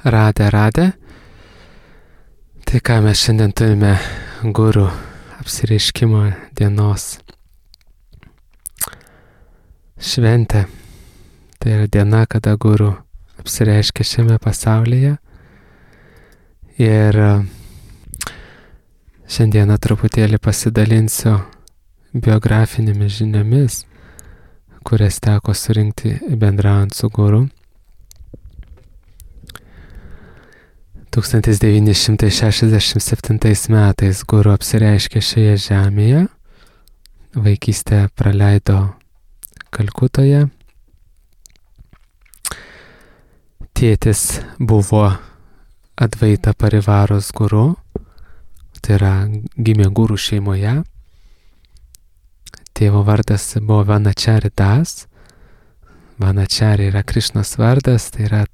Radę. Tai ką mes šiandien turime guru apsireiškimo dienos šventę. Tai yra diena, kada guru apsireiškia šiame pasaulyje. Ir šiandieną truputėlį pasidalinsiu biografinėmis žiniomis, kurias teko surinkti bendraujant su guru. 1967 metais guru apsireiškė šioje žemėje, vaikystę praleido Kalkutoje. Tėtis buvo Advaita Parivaros guru, tai yra gimė guru šeimoje. Tėvo vardas buvo Vanachari Das. Vanachari yra Krišnos vardas, tai yra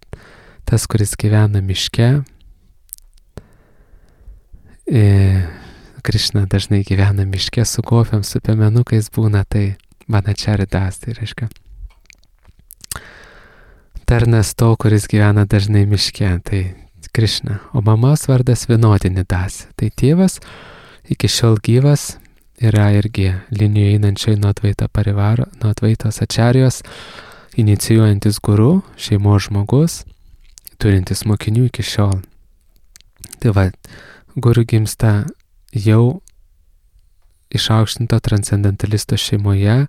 tas, kuris gyvena miške. Krišna dažnai gyvena miške su gopiam, su piemenukais būna, tai Vanachari Das, tai reiškia tarnas to, kuris gyvena dažnai miške, tai Krišna. O mamos vardas Vinodini Das. Tai tėvas iki šiol gyvas, yra irgi linijoje einančiai nuo Advaita Parivaro, nuo Advaitos Ačarijos, inicijuojantis guru, šeimos žmogus, turintis mokinių iki šiol. Tai va, guru gimsta jau išaukštinto transcendentalisto šeimoje,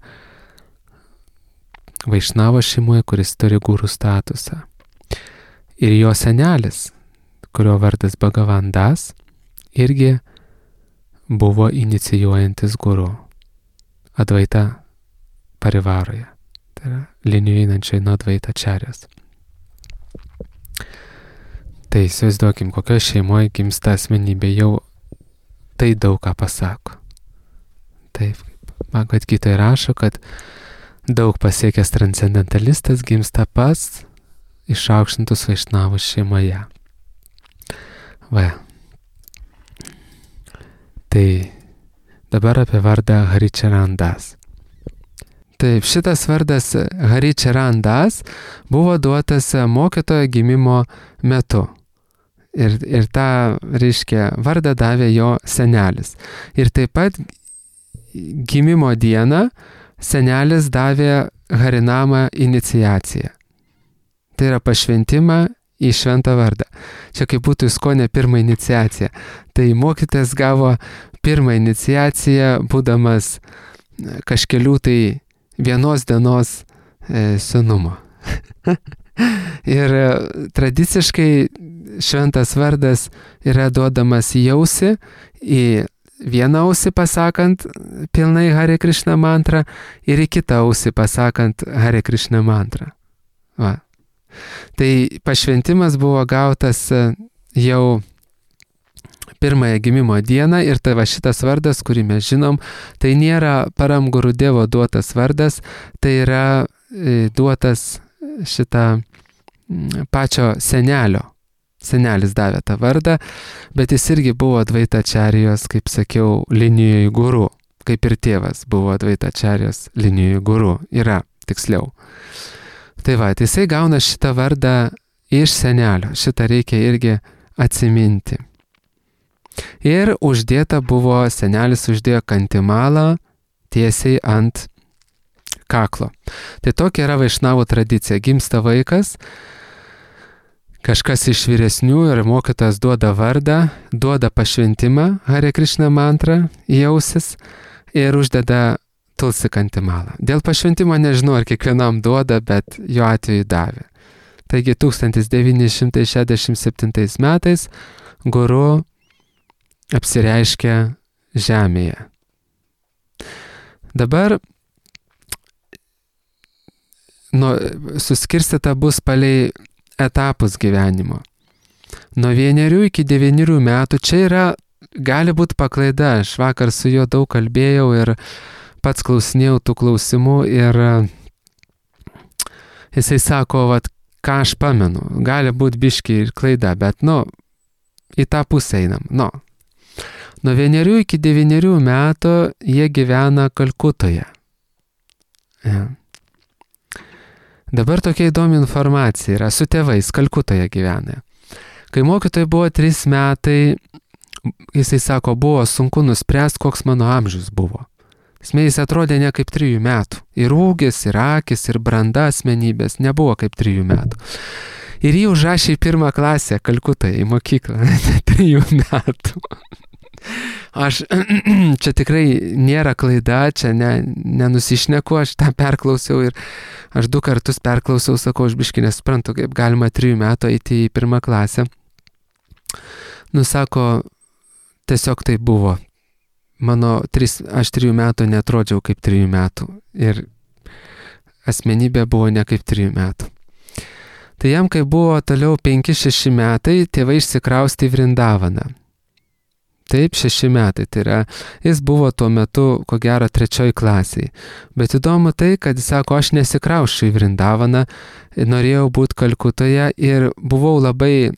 Vaišnavo šeimoje, kuris turi guru statusą. Ir jo senelis, kurio vardas Bhagavan Das, irgi buvo inicijuojantis guru Advaita Parivaroje. Tai yra linijoje einančiai nuo Advaita Ačarijos. Tai įsivaizduokim, kokio šeimoje gimsta asmenybė, jau tai daug ką pasako. Taip, Bhagavad Gita rašo, kad daug pasiekęs transcendentalistas gimsta pas išaukštintus Vaišnavus šeimoje. Va. Tai dabar apie vardą Haricharan Das. Taip, šitas vardas Haricharan Das buvo duotas mokytojo gimimo metu. Ir tą, reiškia, vardą davė jo senelis. Ir taip pat gimimo dieną senelis davė Harinamą iniciaciją. Tai yra pašventimą į šventą vardą. Čia kaip būtų Iskonė pirmą iniciaciją. Tai mokytojas gavo pirmą iniciaciją, būdamas kažkelių tai vienos dienos senumo. Ir tradiciškai šventas vardas yra duodamas į ausį, į vieną ausį pasakant pilnai Hare Krishna mantrą ir į kitą ausį pasakant Hare Krishna mantrą. Va. Tai pašventimas buvo gautas jau pirmąją gimimo dieną ir tai va šitas vardas, kurį mes žinom, tai nėra Param Gurudevo duotas vardas, tai yra duotas šitą pačio senelio. Senelis davė tą vardą, bet jis irgi buvo Advaita Ačarijos, kaip sakiau, linijoje guru, kaip ir tėvas buvo Advaita Ačarijos linijoje guru, yra tiksliau. Tai va, jisai gauna šitą vardą iš senelio, šitą reikia irgi atsiminti. Ir uždėta buvo, senelis uždėjo kantimalą tiesiai ant kaklo. Tai tokia yra Vaišnavų tradicija, gimsta vaikas, kažkas iš vyresnių ir mokytojas duoda vardą, duoda pašventimą Hare Krishna mantrą į ausis ir uždeda tulsi kantimalą. Dėl pašventimo nežinau, ar kiekvienam duoda, bet jo atveju davė. Taigi 1967 metais guru apsireiškė žemėje. Dabar suskirstyta bus palei etapus gyvenimo. Nuo 1 iki 9 metų čia yra, gali būti paklaida. Aš vakar su juo daug kalbėjau ir pats klausinėjau tų klausimų ir jisai sako, vat, ką aš pamenu. Gali būti biški ir klaida, bet, į tą pusę einam. Nuo 1 iki 9 metų jie gyvena Kalkutoje. Ja. Dabar tokia įdomi informacija yra, su tėvais Kalkutoje gyvena. Kai mokytojai buvo 3 metai, jisai sako, buvo sunku nuspręsti, koks mano amžius buvo. Jis atrodė ne kaip 3 metų. Ir ūgis, ir akis, ir branda asmenybės nebuvo kaip 3 metų. Ir jį užrašė į 1 klasę Kalkutoje, į mokyklą, 3 metų. Čia tikrai nėra klaida, čia nenusišneku, aš tą perklausiau ir aš 2 kartus perklausiau, sakau, aš biškį nesuprantu, kaip galima 3 metų eiti į 1 klasę. Sako, tiesiog tai buvo. Aš 3 metų netrodžiau kaip 3 metų ir asmenybė buvo ne kaip 3 metų. Tai jam, kai buvo toliau 5-6 metai, tėvai išsikraustė į Vrindavaną. Taip, 6 metai, tai yra, jis buvo tuo metu, ko gero, 3 klasėje. Bet įdomu tai, kad jis sako, aš nesikrausčiau į Vrindavaną, norėjau būti Kalkutoje ir buvau labai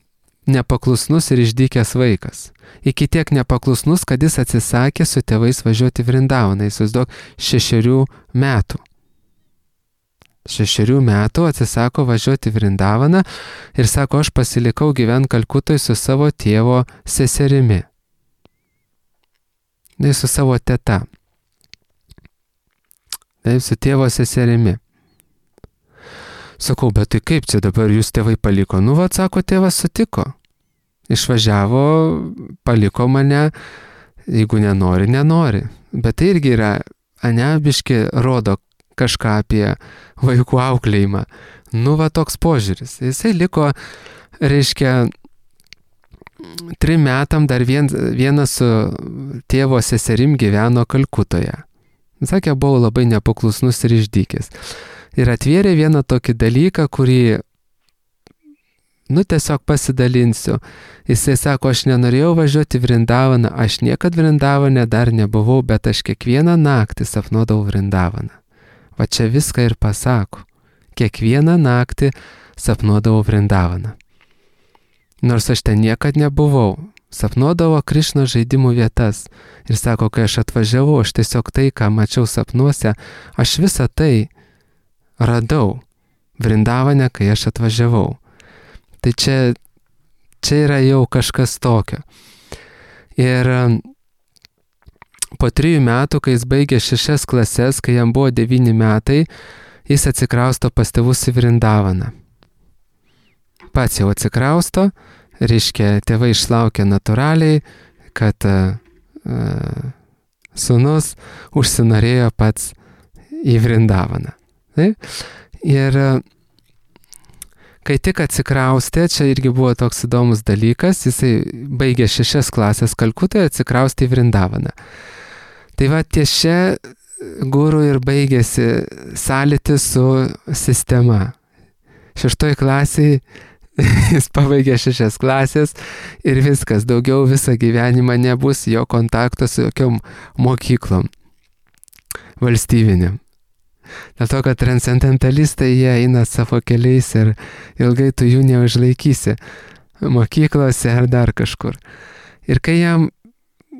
nepaklusnus ir išdykęs vaikas. Iki tiek nepaklusnus, kad jis atsisakė su tėvais važiuoti į Vrindavaną. Įsivaizduok, 6 metų. 6 metų atsisako važiuoti į Vrindavaną ir sako, aš pasilikau gyventi Kalkutoje su savo tėvo seserimi. Su savo teta. Su tėvo seserimi. Sakau, bet tai kaip čia dabar jūs tėvai paliko? Sako, tėvas sutiko. Išvažiavo, paliko mane, jeigu nenori, nenori. Bet tai irgi yra, biški rodo kažką apie vaikų auklėjimą. Toks požiūris. Jisai liko, reiškia, 3 metam dar vienas su tėvo seserim gyveno Kalkutoje. Sakė, buvau labai nepaklusnus ir išdykęs. Ir atvėrė vieną tokį dalyką, kurį, tiesiog pasidalinsiu. Jisai sako, aš nenorėjau važiuoti į Vrindavaną, aš niekad Vrindavane dar nebuvau, bet aš kiekvieną naktį sapnuodavau Vrindavaną. Va čia viską ir pasako. Kiekvieną naktį sapnuodavau Vrindavaną. Nors aš ten niekad nebuvau. Sapnuodavo Krišnos žaidimų vietas. Ir sako, kai aš atvažiavau, aš tiesiog tai, ką mačiau sapnuose, aš visą tai radau Vrindavane, kai aš atvažiavau. Tai čia yra jau kažkas tokio. Ir po 3 metų, kai jis baigė 6 klases, kai jam buvo 9 metai, jis atsikrausto pas tėvus į Vrindavaną. Pats jau atsikrausto, reiškia, tėvai išlaukė natūraliai, kad sūnus užsinorėjo pats į Vrindavaną. Ir kai tik atsikraustė, čia irgi buvo toks įdomus dalykas, jisai baigė 6 klasės Kalkutoje, atsikraustė į Vrindavaną. Tai va ties čia guru ir baigėsi sąlytis su sistema. 6 klasėje jis pabaigė 6 klasės ir viskas, daugiau visą gyvenimą nebus jo kontakto su jokiom mokyklom valstybinėm. Dėl to, kad transcendentalistai jie eina savo keliais ir ilgai tu jų neužlaikysi mokyklose ar dar kažkur. Ir kai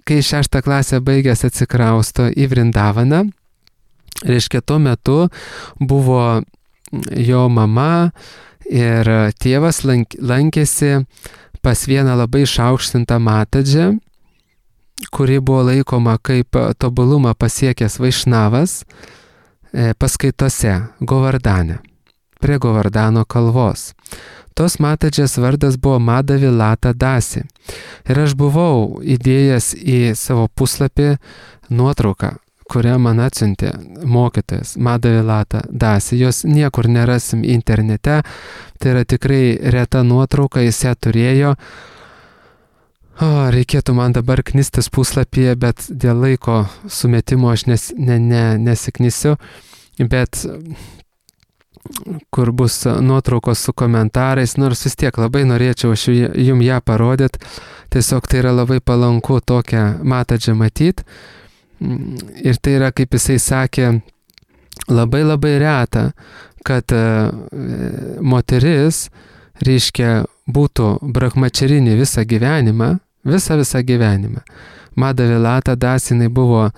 6 klasę baigęs atsikrausto į Vrindavaną, reiškia, tuo metu buvo jo mama ir tėvas lankėsi pas vieną labai išaukštintą matadžę, kuri buvo laikoma kaip tobulumą pasiekęs Vaišnavas, paskaitose Govardane, prie Govardano kalvos. Tos matadžės vardas buvo Madhavilata Dasi. Ir aš buvau įdėjęs į savo puslapį nuotrauką, kurią man atsiuntė mokytojas Madhavilata Dasi. Jos niekur nerasim internete, tai yra tikrai reta nuotrauka, jis ją turėjo. Reikėtų man dabar knistis puslapyje, bet dėl laiko sumetimo aš nesiknisiu, bet kur bus nuotraukos su komentarais, nors vis tiek labai norėčiau aš jums ją parodyti, tiesiog tai yra labai palanku tokią matadžę matyti. Ir tai yra, kaip jisai sakė, labai labai reta, kad moteris, reiškia, būtų brahmačarinė visą gyvenimą, visą gyvenimą. Madhavilata Dasi, jinai buvo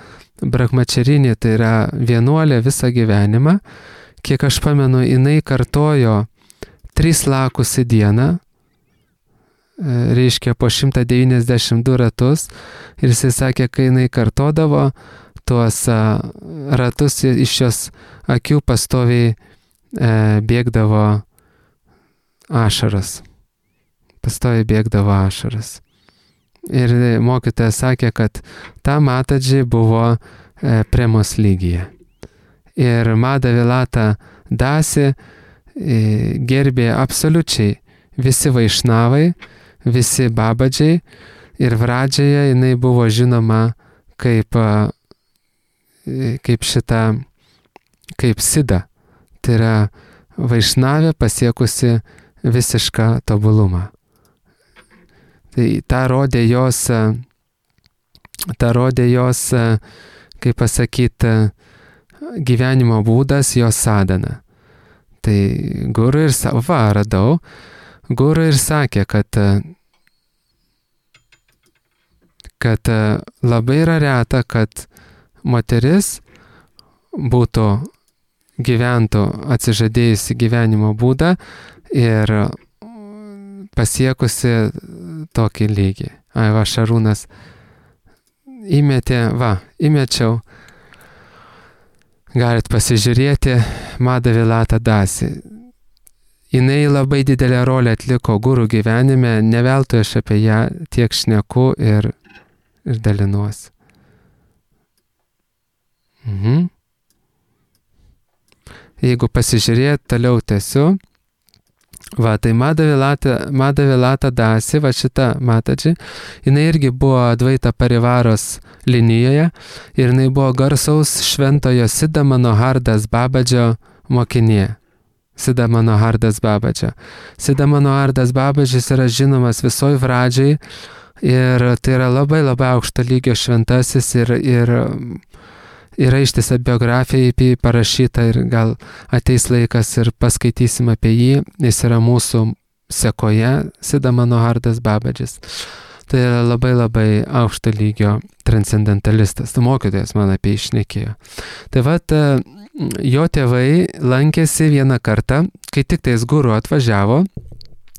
brahmačarinė, tai yra vienuolė visą gyvenimą. Kiek aš pamenu, jinai kartojo 3 lakus į dieną, reiškia po 192 ratus ir jisai sakė, kai jinai kartodavo tuos ratus, iš jos akių pastoviai bėgdavo ašaras. Pastoviai bėgdavo ašaras. Ir mokytojas sakė, kad ta Matadži buvo premos lygyje. Ir Madhavilata Dasi gerbė absoliučiai visi vaišnavai, visi babadžiai ir Vradžioje jinai buvo žinoma kaip Sida. Tai yra vaišnavė pasiekusi visišką tobulumą. Tai ta rodė jos, kaip pasakyti, gyvenimo būdas, jos sadhana. Tai guru ir sakė, kad labai yra reta, kad moteris gyventų atsižadėjusi gyvenimo būdą ir pasiekusi tokį lygį. Šarūnas įmečiau. Galit pasižiūrėti Madhavilata Dasi. Jinai labai didelę rolę atliko guru gyvenime, ne veltui aš apie ją tiek šneku ir dalinuosi. Jeigu pasižiūrėt, toliau tęsiu. Tai Madhavilata Dasi, šita Matadži, jinai irgi buvo Advaita Parivaros linijoje ir jinai buvo garsaus šventojo Siddha Manohardas Babadžio mokinė. Siddha Manohardas Babadžio. Siddha Manohardas Babadžis yra žinomas visoj Vradžiai ir tai yra labai labai aukšto lygio šventasis ir yra ištisa biografija apie jį parašyta ir gal ateis laikas ir paskaitysim apie jį. Jis yra mūsų sekoje, Siddha Manohardas Babadžis. Tai yra labai labai aukšto lygio transcendentalistas. Tai mokytojas man apie jį šnekėjo. Tai jo tėvai lankėsi vieną kartą, kai tik tais guru atvažiavo,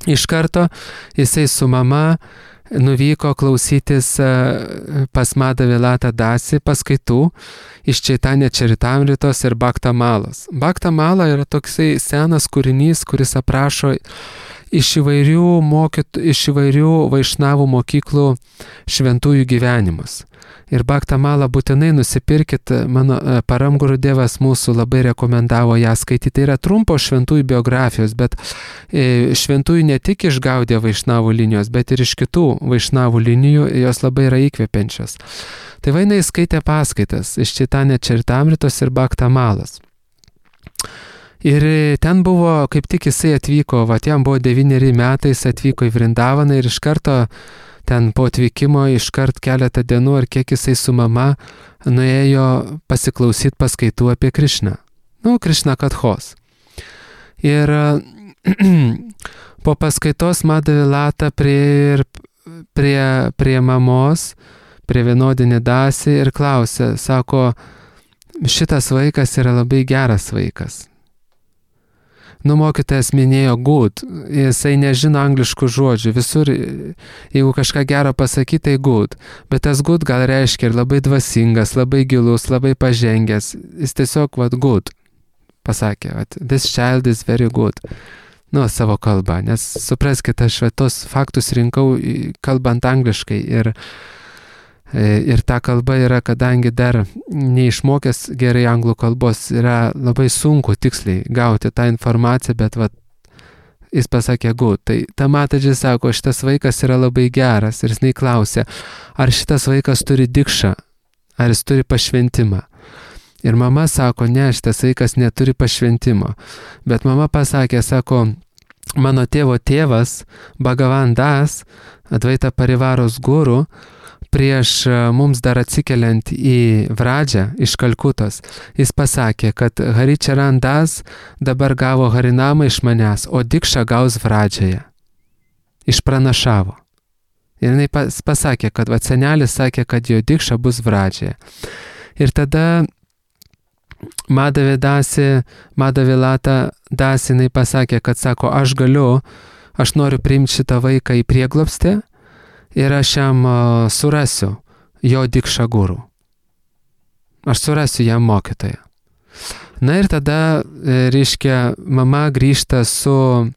iš karto jisai su mama nuvyko klausytis pas Madhavilata Dasi paskaitų iš Chaitanya Charitamritos ir Bhakta Malos. Bhakta Mala yra toksai senas kūrinys, kuris aprašo iš įvairių vaišnavų mokyklų šventųjų gyvenimus. Ir Bhakta Malą būtinai nusipirkit, mano Param Gurudevas mūsų labai rekomendavo ją skaityti. Tai yra trumpos šventųjų biografijos, bet šventųjų ne tik iš Gaudija vaišnavų linijos, bet ir iš kitų vaišnavų linijų, jos labai yra įkvepiančios. Tai jinai skaitė paskaitas iš Chaitanya Charitamritos ir Bhakta Malos. Ir ten buvo, kaip tik jisai atvyko, jam buvo 9 metai, jis atvyko į Vrindavaną ir iš karto ten po atvykimo iškart keletą dienų ar kiek jisai su mama nuėjo pasiklausyti paskaitų apie Krišną. Krišna Kathos. Ir po paskaitos Madhavilata prie mamos, prie Vienodinį Dasi ir klausė, sako, šitas vaikas yra labai geras vaikas. Mokytojas minėjo good, jisai nežino angliškų žodžių, visur, jeigu kažką gero pasakyti, tai good, bet tas good gal reiškia ir labai dvasingas, labai gilus, labai pažengęs, jis tiesiog good pasakė, this child is very good, savo kalbą, nes supraskite, aš tos faktus rinkau kalbant angliškai ir ta kalba yra, kadangi dar neišmokęs gerai anglų kalbos, yra labai sunku tiksliai gauti tą informaciją, bet jis pasakė good. Tai ta Matadži sako, šitas vaikas yra labai geras ir jis klausė, ar šitas vaikas turi dikšą, ar jis turi pašventimą. Ir mama sako, ne, šitas vaikas neturi pašventimo. Bet mama pasakė, sako, mano tėvo tėvas, Bhagavan Das, Advaita Parivaros guru, prieš mums dar atsikeliant į Vradžią iš Kalkutos, jis pasakė, kad Haricharan Das dabar gavo Harinamą iš manęs, o dikšą gaus Vradžioje. Išpranašavo. Ir jinai pasakė, kad senelis sakė, kad jo dikša bus Vradžioje. Ir tada Madhavilata Dasi jinai pasakė, kad sako, aš aš noriu priimti šitą vaiką į prieglobstį ir aš jam surasiu jo dikšą gurų. Aš surasiu jam mokytoją. Na ir tada, reiškia, mama grįžta su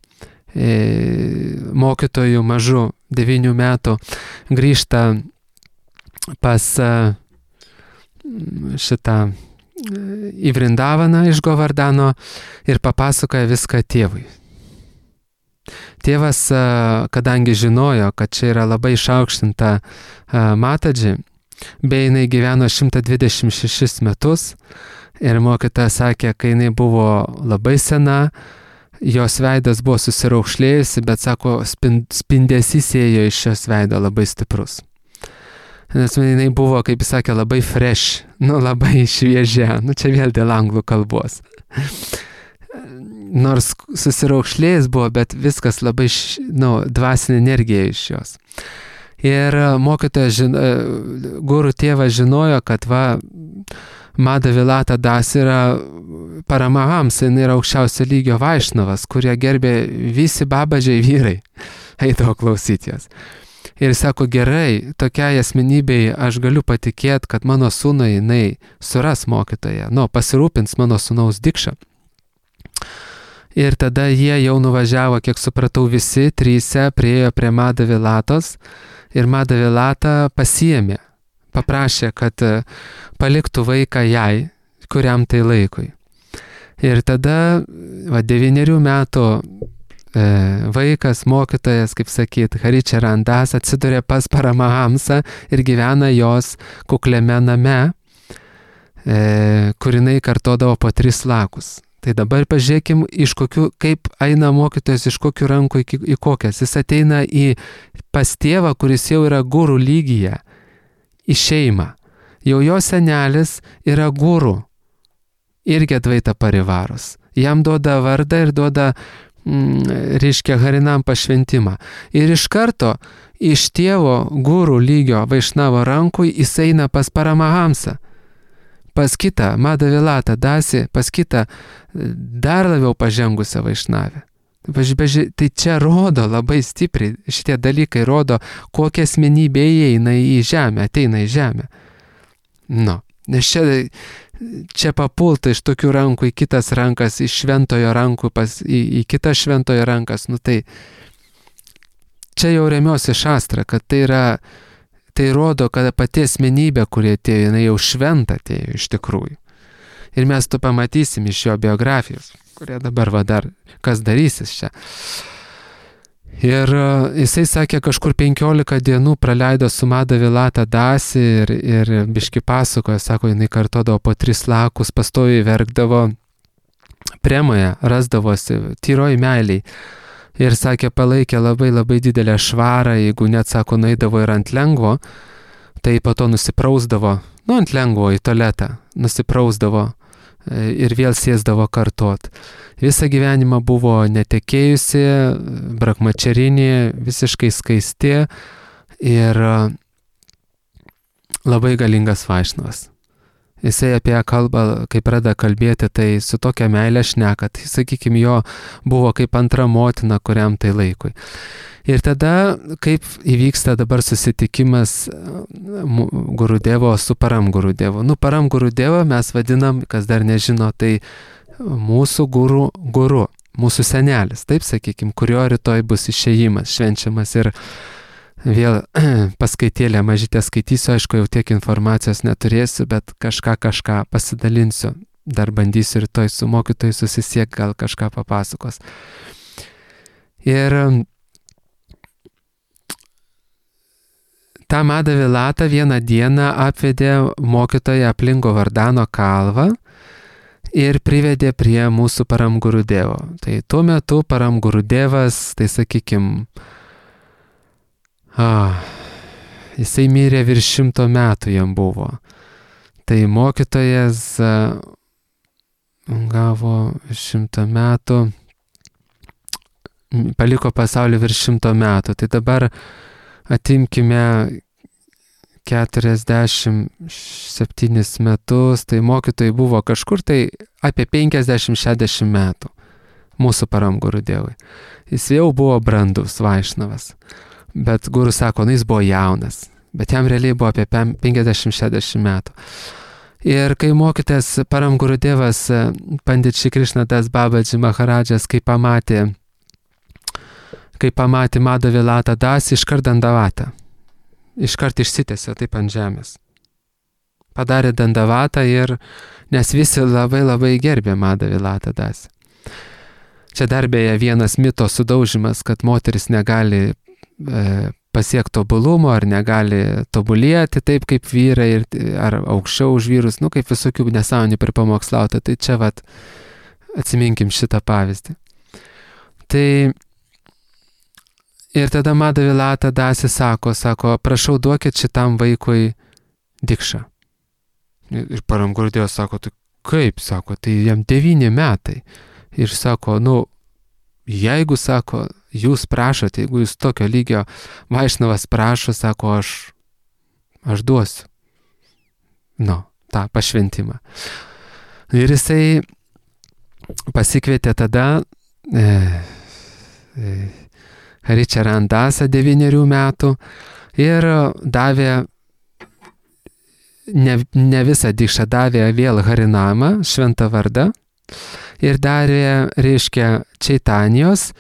mokytoju mažu 9 metų, grįžta pas šitą į Vrindavaną iš Govardano ir papasakoja viską tėvui. Tėvas, kadangi žinojo, kad čia yra labai išaukštinta Matadži, bei jinai gyveno 126 metus ir mokytoja sakė, kai jinai buvo labai sena, jos veidas buvo susiraukšlėjusi, bet sako, spindesys ėjo iš šios veido labai stiprus. Nes jinai buvo, kaip jis sakė, labai fresh, labai šviežia, čia vėl dėl anglų kalbos. Nors susiraukšlėjęs buvo, bet viskas labai, dvasinė energija iš jos. Ir mokytojas, gurų tėvas žinojo, kad Madhavilata Das yra Paramahamsa, jinai yra aukščiausio lygio vaišnavas, kurie gerbė visi babadžiai vyrai. Eidavo klausyti jas. Ir sako, gerai, tokiai asmenybei aš galiu patikėti, kad mano sūnui jinai suras mokytoją, pasirūpins mano sūnaus dikšą. Ir tada jie jau nuvažiavo, kiek supratau, visi 3 priėjo prie Madhavilatos ir Madhavilata pasiėmė, paprašė, kad paliktų vaiką jai, kuriam tai laikui. Ir tada 9 metų vaikas, mokytojas, kaip sakyt, Haricharan Das atsidūrė pas Paramahamsą ir gyvena jos kukliame name, kur jinai kartodavo po 3 lakus. Tai dabar pažiūrėkim, kaip eina mokytojas iš kokių rankų į kokias. Jis ateina pas tėvą, kuris jau yra gurų lygyje, į šeimą. Jau jo senelis yra gurų, irgi Advaita Parivaros. Jam duoda vardą ir duoda, reiškia, Harinam pašventimą. Ir iš karto iš tėvo gurų lygio vaišnavo rankų jis eina pas Paramahamsą. Pas kitą Madhavilata Dasi, pas kitą dar labiau pažengusią vaišnavę. Tai čia rodo labai stipriai, šitie dalykai rodo, kokia asmenybė įeina į žemę, ateina į žemę. Nes čia papulta iš tokių rankų į kitas rankas, iš šventojo rankų į kitas šventojo rankas. Tai čia jau remiuosi šastra, kad tai rodo, kad pati asmenybė, kurie atėjo, jinai jau šventa atėjo iš tikrųjų. Ir mes to pamatysim iš jo biografijos, kurie dabar dar kas darysis čia. Ir jisai sakė, kažkur 15 dienų praleido su Madhavilata Dasi ir biški pasakojo, sako, jinai kartodavo po 3 lakus, pastoviai verkdavo, premoje rasdavosi, tyroj meiliai. Ir sakė, palaikė labai labai didelę švarą, jeigu net, sako, nueidavo ir ant lengvo, tai po to nusiprausdavo, ant lengvo į tualetą, nusiprausdavo ir vėl sėsdavo kartot. Visą gyvenimą buvo netekėjusi, brahmačarinė, visiškai skaisti ir labai galingas vaišnavas. Jisai apie ją kalba, kai pradeda kalbėti, tai su tokia meilė šneka, tai sakykime, jo buvo kaip antra motina, kuriam tai laikui. Ir tada, kaip įvyksta dabar susitikimas Gurudevo su Param Gurudevu. Param Gurudevą mes vadinam, kas dar nežino, tai mūsų guru, mūsų senelis, taip sakykime, kurio rytoj bus išėjimas, švenčiamas ir vėl paskaitėlę mažytę skaitysiu, aišku, jau tiek informacijos neturėsiu, bet kažką pasidalinsiu. Dar bandysiu rytoj su mokytoju susisiekti, gal kažką papasakos. Ir tą Madhavilata vieną dieną apvedė mokytoją aplink Govardano kalvą ir privedė prie mūsų Param Gurudevo. Tai tuo metu Param Gurudevas, tai sakykime, jisai mirė virš 100 metų jam buvo. Tai mokytojas gavo 100 metų, paliko pasaulį virš 100 metų. Tai dabar atimkime 47 metus, tai mokytojai buvo kažkur tai apie 50-60 metų. mūsų Param Gurudevui. Jis jau buvo brandus Vaišnavas, bet guru sako, jis buvo jaunas, bet jam realiai buvo apie 50-60 metų. Ir kai mokytas Param Gurudevas Pandit Šri Krishna Das Babaji Maharadžas, kai pamatė Madhavilata Das, iškart dandavatą. Iškart išsitėsė taip ant žemės. Padarė dandavatą ir, nes visi labai gerbė Madhavilata Das. Čia dar beje vienas mito sudaužimas, kad moteris negali pasiekti tobulumo ar negali tobulėti taip kaip vyrai ar aukščiau už vyrus, kaip visokių nesąmonių pripamokslauta. Tai čia atsiminkim šitą pavyzdį. Tai ir tada Madhavilata Das sako, prašau duokit šitam vaikui dikšą. Ir Param Gurudevas sako, tai kaip, tai jam 9 metai. Ir sako, jeigu, jūs prašote, jeigu jūs tokio lygio Vaišnavas prašo, aš duosiu. Tą pašventimą. Ir jisai pasikvietė tada Haricharan Dasą 9 metų ir davė, ne visą dikšą, davė vėl Harinamą, šventą vardą, ir darė, reiškia, Čaitanijos,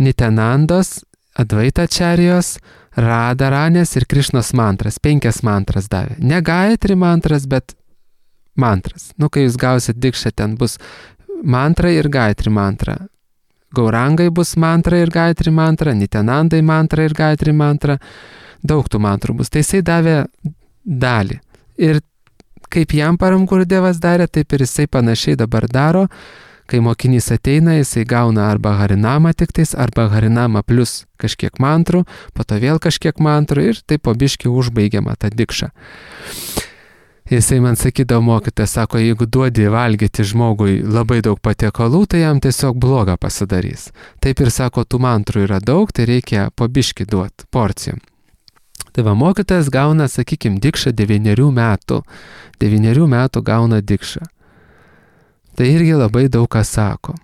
Nityanandos, Advaitačarijos, Radharanės ir Krišnos mantras. 5 mantras davė. Ne Gayatri mantras, bet mantras. Kai jūs gausit dikšą, ten bus mantra ir Gayatri mantra. Gaurangai bus mantra ir Gayatri mantra, Nityanandai mantra ir Gayatri mantra. Daug tų mantrų bus. Tai jisai davė dalį. Ir kaip jam Param Gurudevas darė, taip ir jisai panašiai dabar daro. Kai mokinys ateina, jisai gauna arba Harinamą tiktais, arba Harinamą plus kažkiek mantrų, po to vėl kažkiek mantrų ir taip po biškį užbaigiama tą dikšą. Jisai man sakydavo, mokytojas, jeigu duodi valgyti žmogui labai daug patiekalų, tai jam tiesiog bloga pasidarys. Taip ir tų mantrų yra daug, tai reikia po biškį duoti porcijom. Tai mokytojas gauna, dikšą 9 metų. 9 metų gauna dikšą. Tai irgi labai daug ką sako.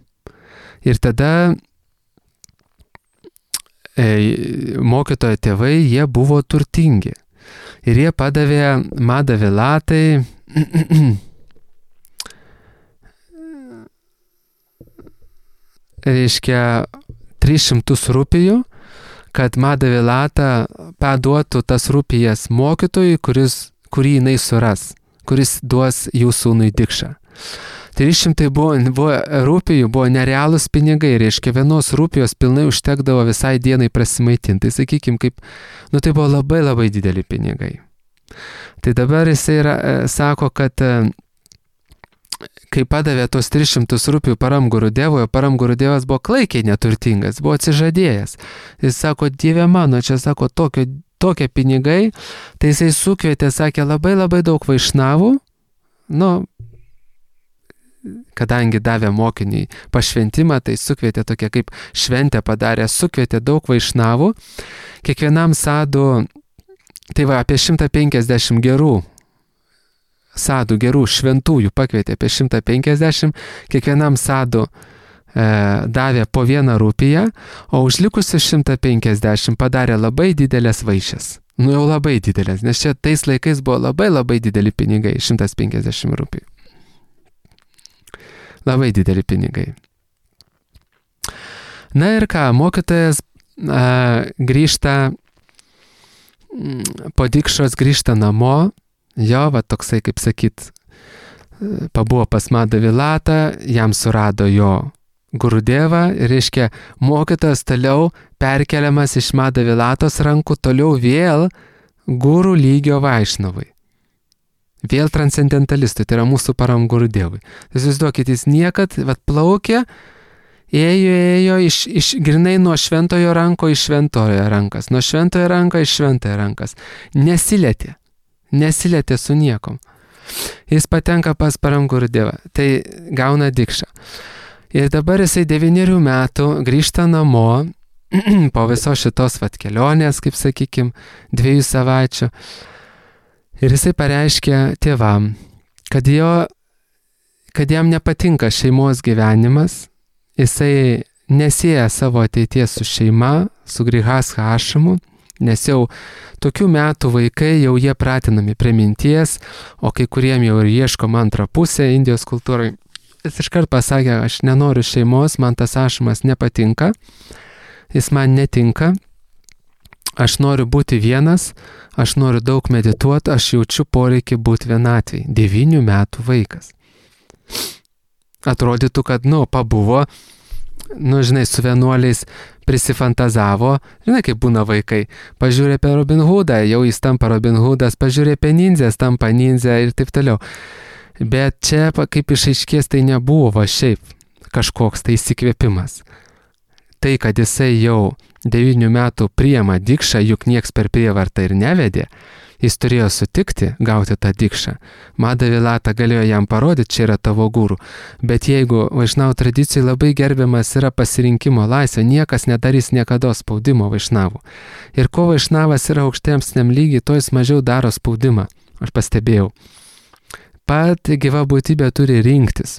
Ir tada mokytojo tėvai, jie buvo turtingi. Ir jie padavė Madhavilatai reiškia 300 rupijų, kad Madhavilata paduotų tas rupijas mokytojui, kurį jinai suras, kuris duos jų sūnui dikšą. 300 rupijų buvo nerealūs pinigai, reiškia 1 rupijos pilnai užtekdavo visai dienai prasimaitinti. Tai sakykim, tai buvo labai dideli pinigai. Tai dabar jisai sako, kad kai padavė tos 300 rupijų Param Gurudevui, Param Gurudevas buvo klaikiai neturtingas, buvo atsižadėjęs. Jis sako, Dieve mano, čia tokie pinigai, tai jisai sukvietė, sakė, labai daug vaišnavų, kadangi davė mokiniui pašventimą, tai sukvietė tokia kaip šventę padarė, sukvietė daug vaišnavų, kiekvienam sadų, tai apie 150 gerų sadų, gerų šventųjų pakvietė apie 150, kiekvienam sadų davė po 1 rupiją, o už likusius 150 padarė labai didelės vaišes. Jau labai didelės, nes čia tais laikais buvo labai dideli pinigai, 150 rupijų. Labai dideli pinigai. Na ir ką, mokytojas grįžta, po dikšos grįžta namo, toksai, kaip sakyt, pabuvo pas Madhavilatą, jam surado jo Gurudevą, ir reiškia, mokytojas toliau perkeliamas iš Madhavilatos rankų, toliau vėl gurų lygio Vaišnavai. Vėl transcendentalistui, tai yra mūsų Param Gurudevui. Įsivaizduokit, jis niekad plaukė, ėjo grinai nuo šventojo ranko iš šventojo rankas, nuo šventojo ranko iš šventojo rankas. Nesilietė su niekom. Jis patenka pas Param Gurudevą, tai gauna dikšą. Ir dabar jisai 9 metų grįžta namo, po visos šitos kelionės, kaip sakykim, 2 savaičių. Ir jisai pareiškė tėvam, kad jam nepatinka šeimos gyvenimas jisai nesieja savo ateities su šeima, su Grihastha ašramu, nes jau tokių metų vaikai jau jie pratinami prie minties, o kai kuriem jau ir ieškom antrą pusę Indijos kultūrai. Jis iškart pasakė, aš nenoriu šeimos, man tas ašramas nepatinka, jis man netinka, aš noriu būti vienas, aš noriu daug medituoti, aš jaučiu poreikį būti vienatvėj. 9 metų vaikas. Atrodytų, kad, pabuvo, žinai, su vienuoliais prisifantazavo, žinai, kaip būna vaikai. Pažiūrė apie Robin Hoodą, jau jis tampa Robin Hoodas, pažiūrė apie ninzės, tampa ninzė ir taip toliau. Bet čia, kaip išaiškės, tai nebuvo va šiaip kažkoks tai įsikvėpimas. Tai, kad jisai jau 9 metų priima dikšą, juk nieks per prievartą ir nevedė, jis turėjo sutikti gauti tą dikšą. Madhavilata galėjo jam parodyti, čia yra tavo guru. Bet jeigu vaišnavų tradicijai labai gerbiamas yra pasirinkimo laisvė, niekas nedarys niekada spaudimo vaišnavų. Ir ko vaišnavas yra aukštesniam lygiai, to jis mažiau daro spaudimą. Aš pastebėjau. Pat gyva būtybė turi rinktis.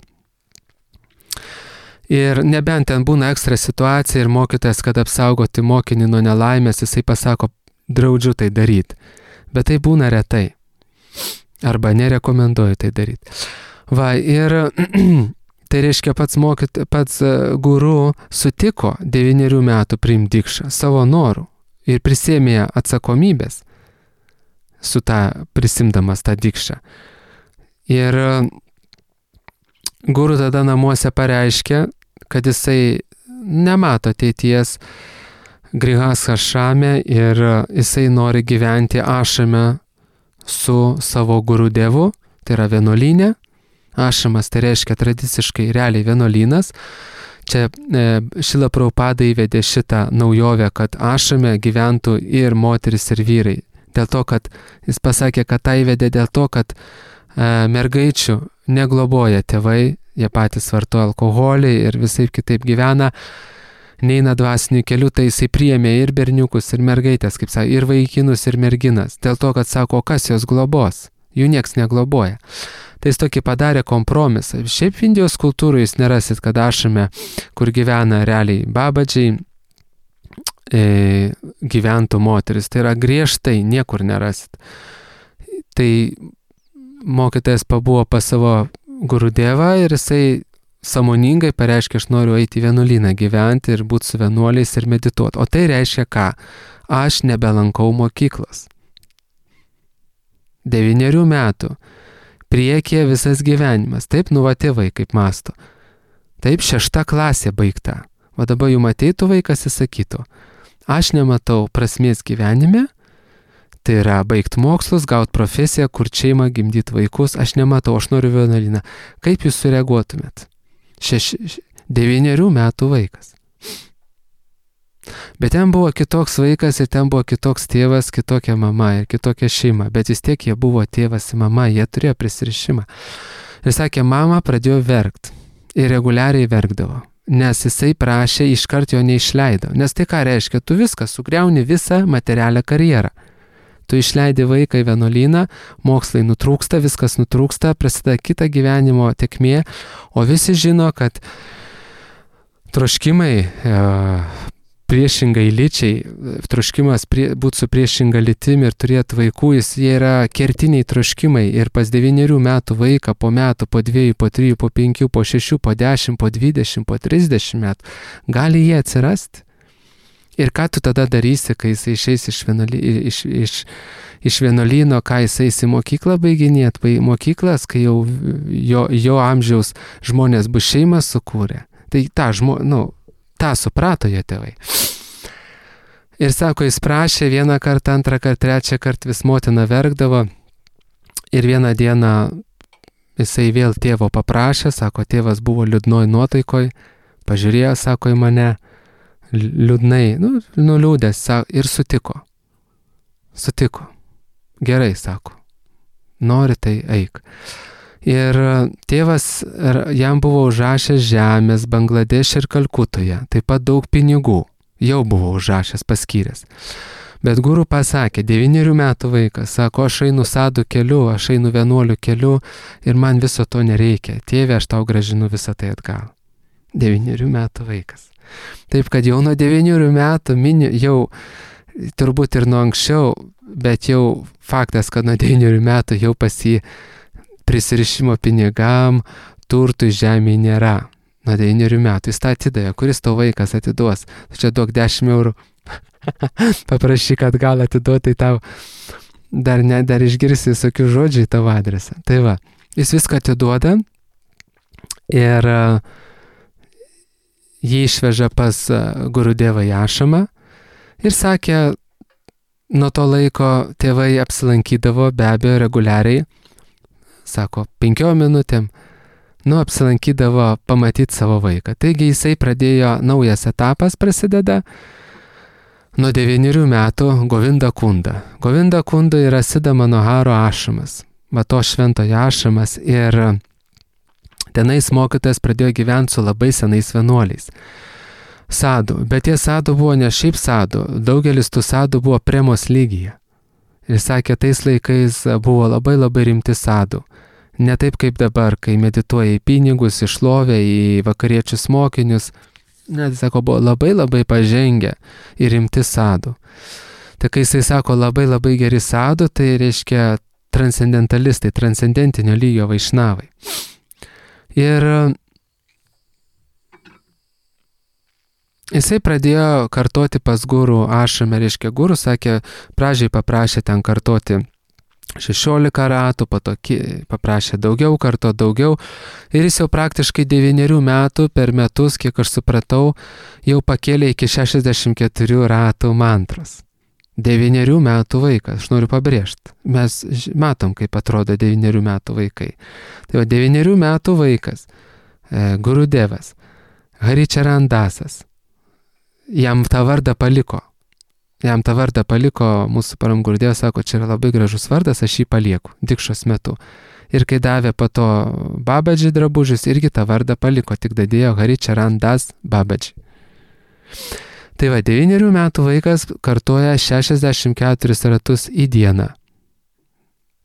Ir nebent ten būna ekstra situacija ir mokytojas, kad apsaugoti mokinį nuo nelaimės, jisai pasako, draudžiu tai daryti. Bet tai būna retai. Arba nerekomenduoju tai daryti. Va, ir tai reiškia pats guru sutiko 9 metų priimti dikšą savo norų ir prisėmė atsakomybės su prisimdamas tą dikšą. Ir guru tada namuose pareiškė, kad jisai nemato ateities Grihastha ašrame ir jisai nori gyventi ašrame su savo gurudevu, tai yra vienuolyne. Ašramas tai reiškia tradiciškai realiai vienuolynas. Čia Šrila Prabhupada įvedė šitą naujovę, kad ašrame gyventų ir moteris ir vyrai. Dėl to, kad jis pasakė, kad tai įvedė dėl to, kad mergaičių negloboja tėvai, jie patys vartoja alkoholį ir visai kitaip gyvena, neina dvasiniu keliu, tai jisai priėmė ir berniukus, ir mergaitės, kaip sako, ir vaikinus, ir merginas. Dėl to, kad sako, kas jos globos, jų nieks negloboja. Tai jis tokį padarė kompromisą. Šiaip Indijos kultūroje jūs nerasit, kad ašrame, kur gyvena realiai babadžiai, gyventų moteris. Tai yra griežtai, niekur nerasit. Tai mokytojas pabuvo pas savo gurudevą ir jisai sąmoningai pareiškia, aš noriu eiti į vienuolyną gyventi ir būti su vienuoliais ir medituoti. O tai reiškia ką? Aš nebelankau mokyklos. 9 metų. Priekyje visas gyvenimas. Taip, va tėvai kaip masto. Taip, 6 klasė baigta. O dabar jums ateitų vaikas ir sakytų, aš nematau prasmės gyvenime, tai yra baigti mokslus, gauti profesiją, kur šeimą, gimdyti vaikus, aš nematau, aš noriu vienuolyną. Kaip jūs sureaguotumėt? 9 metų vaikas. Bet ten buvo kitoks vaikas ir ten buvo kitoks tėvas, kitokia mama ir kitokia šeima. Bet vis tiek jie buvo tėvas ir mama, jie turėjo prisirišimą. Ir sakė, mama pradėjo verkti ir reguliariai verkdavo. Nes jisai prašė, iškart jo neišleido. Nes tai ką reiškia, tu viską sugriauni visą materialią karjerą. Tu išleidi vaiką į vienuolyną, mokslai nutrūksta, viskas nutrūksta, prasideda kita gyvenimo tėkmė, o visi žino, kad troškimai priešingai lyčiai, troškimas būti su priešinga lytimi ir turėti vaikų, jie yra kertiniai troškimai ir pas 9 metų vaiką po metų, po 2, po 3, po 5, po 6, po 10, po 20, po 30 metų, gali jie atsirasti. Ir ką tu tada darysi, kai jis išeis iš vienuolyno, ką jis eis į mokyklą baiginėti, mokyklas, kai jau jo amžiaus žmonės bus šeimą sukūrę. Tai tą suprato jo tėvai. Ir sako, jis prašė 1 kartą, 2 kartą, 3 kartą vis motina verkdavo. Ir vieną dieną jisai vėl tėvo paprašė, sako, tėvas buvo liūdnoj nuotaikoj, pažiūrėjo, sako, į mane, liūdnai, nuliūdęs ir sutiko. Sutiko. Gerai, sako. Nori, tai eik. Ir tėvas jam buvo užrašęs žemės Bangladešė ir Kalkutoje, taip pat daug pinigų. Jau buvo užrašęs, paskyręs. Bet guru pasakė, 9 metų vaikas, sako, aš einu sadų keliu, aš einu vienuolių keliu ir man viso to nereikia. Tėve, aš tau grąžinu visą tai atgal. 9 metų vaikas. Taip, kad jau nuo 9 metų jau turbūt ir nuo anksčiau, bet jau faktas, kad nuo 9 metų jau pas jį prisirišimo pinigam, turtui žemėje nėra. Nuo 9 metų jis tą atidavė. Kuris tau vaikas atiduos? Tu čia duok 10 eurų. Paprašy, kad gal atiduotai tau. Dar išgirsi visokių žodžių į tavo adresą. Tai va, jis viską atiduoda ir jį išveža pas Gurudevą į ašramą ir sakė, nuo to laiko tėvai apsilankydavo be abejo reguliariai, sako, 5 minutėm, apsilankydavo pamatyti savo vaiką. Taigi jisai pradėjo, naujas etapas prasideda, nuo 9 metų Govinda Kunda. Govinda Kunda yra Siddha Manoharo ašramas, va to šventojo ašramas, ir tenais mokytojas pradėjo gyventi su labai senais vienuoliais. Sadų, bet tie sadų buvo ne šiaip sadų, daugelis tų sadų buvo premos lygyje. Ir sakė, tais laikais buvo labai labai rimti sadų. Ne taip kaip dabar, kai medituoja į pinigus, į šlovę, į vakariečius mokinius. Net, sako, buvo labai labai pažengę ir rimti sadų. Tai kai jisai sako labai labai geri sadų, tai reiškia transcendentalistai, transcendentinio lygio vaišnavai. Ir jisai pradėjo kartoti pas gurų ašrame, reiškia gurų, sakė, pradžiai paprašė ten kartoti 16 ratų, po to paprašė daugiau, ir jis jau praktiškai 9 metų per metus, kiek aš supratau, jau pakėlė iki 64 ratų mantros. 9 metų vaikas, aš noriu pabrėžti, mes matom, kaip atrodo 9 metų vaikai. Tai va, 9 metų vaikas, Gurudevas, Haričarandasas, jam tą vardą paliko. Mūsų Param Gurudevas, sako, čia yra labai gražus vardas, aš jį palieku, dikšos metu. Ir kai davė po to Babadži drabužius, irgi tą vardą paliko, tik dadėjo Haričarandas Babadži. Tai va, 9 metų vaikas kartoja 64 ratus į dieną.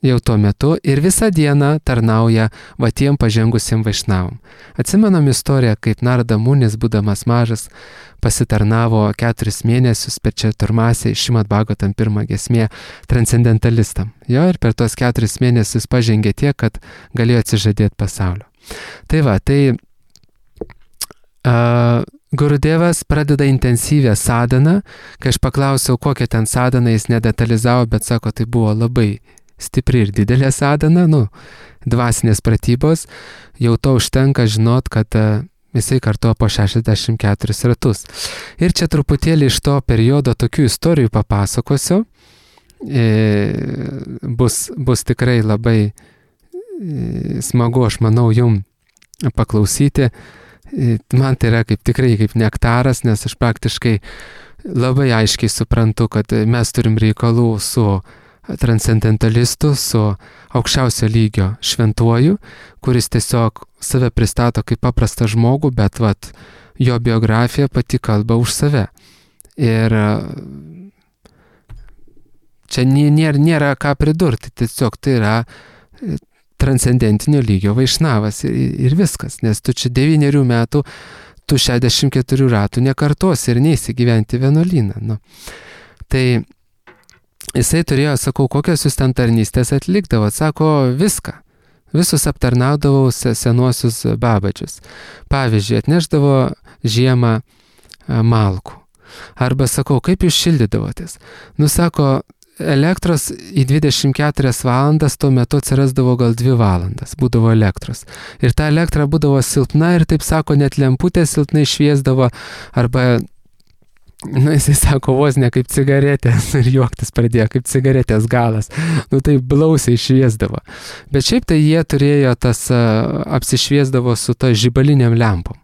Jau tuo metu ir visą dieną tarnauja va tiem pažengusiem vaišnavom. Atsimenam istoriją, kaip Narada Munis, būdamas mažas, pasitarnavo 4 mėnesius per Čaturmasę Šrimad Bhagavatam 1 giesmė transcendentalistam. Jo, ir per tos 4 mėnesius pažengė tiek, kad galėjo atsižadėti pasaulio. Tai va, Gurudevas pradeda intensyvę sadaną. Kai aš paklausiau, kokią ten sadaną, jis nedetalizavo, bet sako, tai buvo labai stipri ir didelė sadana, dvasinės pratybos, jau to užtenka žinot, kad jisai kartuoja po 64 ratus. Ir čia truputėlį iš to periodo tokių istorijų papasakosiu. Bus tikrai labai smagu, aš manau, jum paklausyti. Man tai yra tikrai kaip nektaras, nes aš praktiškai labai aiškiai suprantu, kad mes turim reikalų su transcendentalistu, su aukščiausio lygio šventuoju, kuris tiesiog save pristato kaip paprastą žmogų, bet jo biografija pati kalba už save. Ir čia nėra ką pridurti, tiesiog tai yra transcendentinio lygio vaišnavas ir viskas, nes tu čia 9 metų, tu 64 ratų nekartosi ir neisi gyventi vienuolyną. Tai jisai turėjo, sakau, kokios jūs ten tarnystės atlikdavo, sako, viską. Visus aptarnaudavau senuosius babadžius. Pavyzdžiui, atneždavo žiemą malkų. Arba sakau, kaip jūs šildydavotės? Sako, elektros į 24 valandas tuo metu atsirasdavo gal 2 valandas, būdavo elektros. Ir ta elektra būdavo silpna ir, taip sako, net lemputė silpnai šviesdavo, arba, jisai sako, vos ne kaip cigaretės, ir juoktis pradėjo, kaip cigaretės galas. Tai blausiai šviesdavo. Bet šiaip tai jie turėjo apsišviesdavo su ta žibaliniam lempom.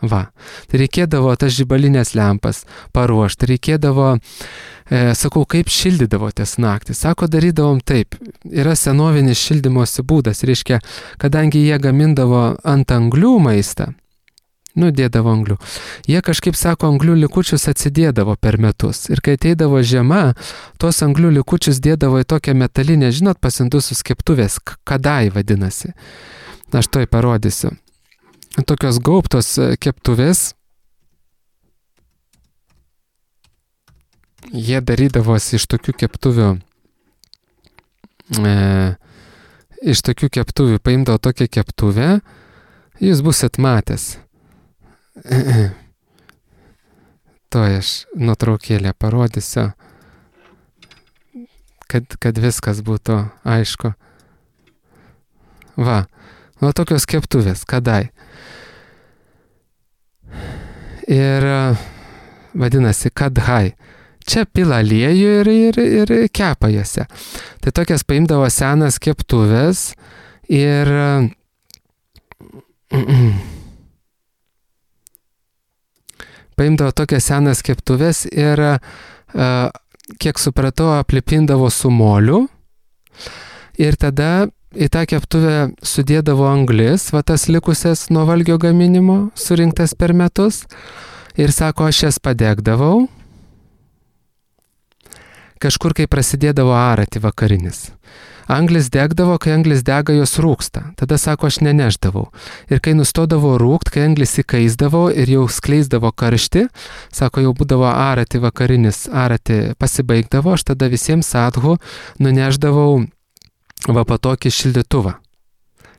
Va, tai reikėdavo tas žibalinės lempas paruošti, reikėdavo, sakau, kaip šildydavotės naktį. Sako, darydavom taip, yra senovinis šildymosi būdas, reiškia, kadangi jie gamindavo ant anglių maistą, dėdavo anglių, jie kažkaip, sako, anglių likučius atsidėdavo per metus. Ir kai ateidavo žiema, tos anglių likučius dėdavo į tokią metalinę, pas indusus keptuvės, kadai vadinasi. Aš toj parodysiu. tokios gaubtos keptuvės. Jie darydavosi iš tokių keptuvių, paimdavo tokią keptuvę, jūs busit matęs. Tuoj aš nuotraukėlę parodysiu, kad viskas būtų aišku. Va tokios keptuvės, kadai. Ir vadinasi kadhai. Čia pila aliejų ir kepa juose. Tai tokias paimdavo senas keptuvės ir kiek supratau, aplipindavo su moliu ir tada į tą keptuvę sudėdavo anglis, va tas likusias nuo valgio gaminimo, surinktas per metus, ir sako, aš jas padegdavau, kažkur kai prasidėdavo arati vakarinis. Anglis degdavo, kai anglis dega, jos rūksta. Tada sako, aš neneždavau. Ir kai nustodavo rūkt, kai anglis įkaisdavo ir jau skleisdavo karštį, sako, jau būdavo arati vakarinis, arati pasibaigdavo, aš tada visiems sadhu nuneždavau va po tokį šildytuvą.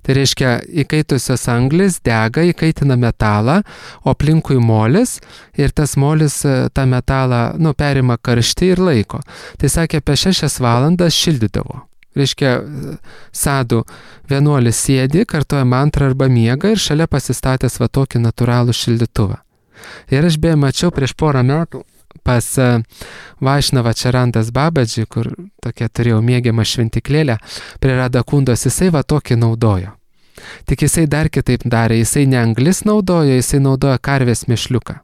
Tai reiškia, įkaitusios anglis dega, įkaitina metalą, o aplinkui molis ir tas molis tą metalą, perima karštį ir laiko. Tai sakė, apie 6 valandas šildydavo. Reiškia, sadhu vienuolis sėdi, kartoja mantrą arba miega ir šalia pasistatęs va tokį natūralų šildytuvą. Ir aš beje mačiau prieš porą metų pas Vaišnavą Čarandas Babadžį, kur tokia turėjau mėgiamą šventiklėlę, prie Radakundos, jisai va tokį naudojo. Tik jisai dar kitaip darė, jisai ne anglis naudojo, jisai naudojo karvės mėšliuką.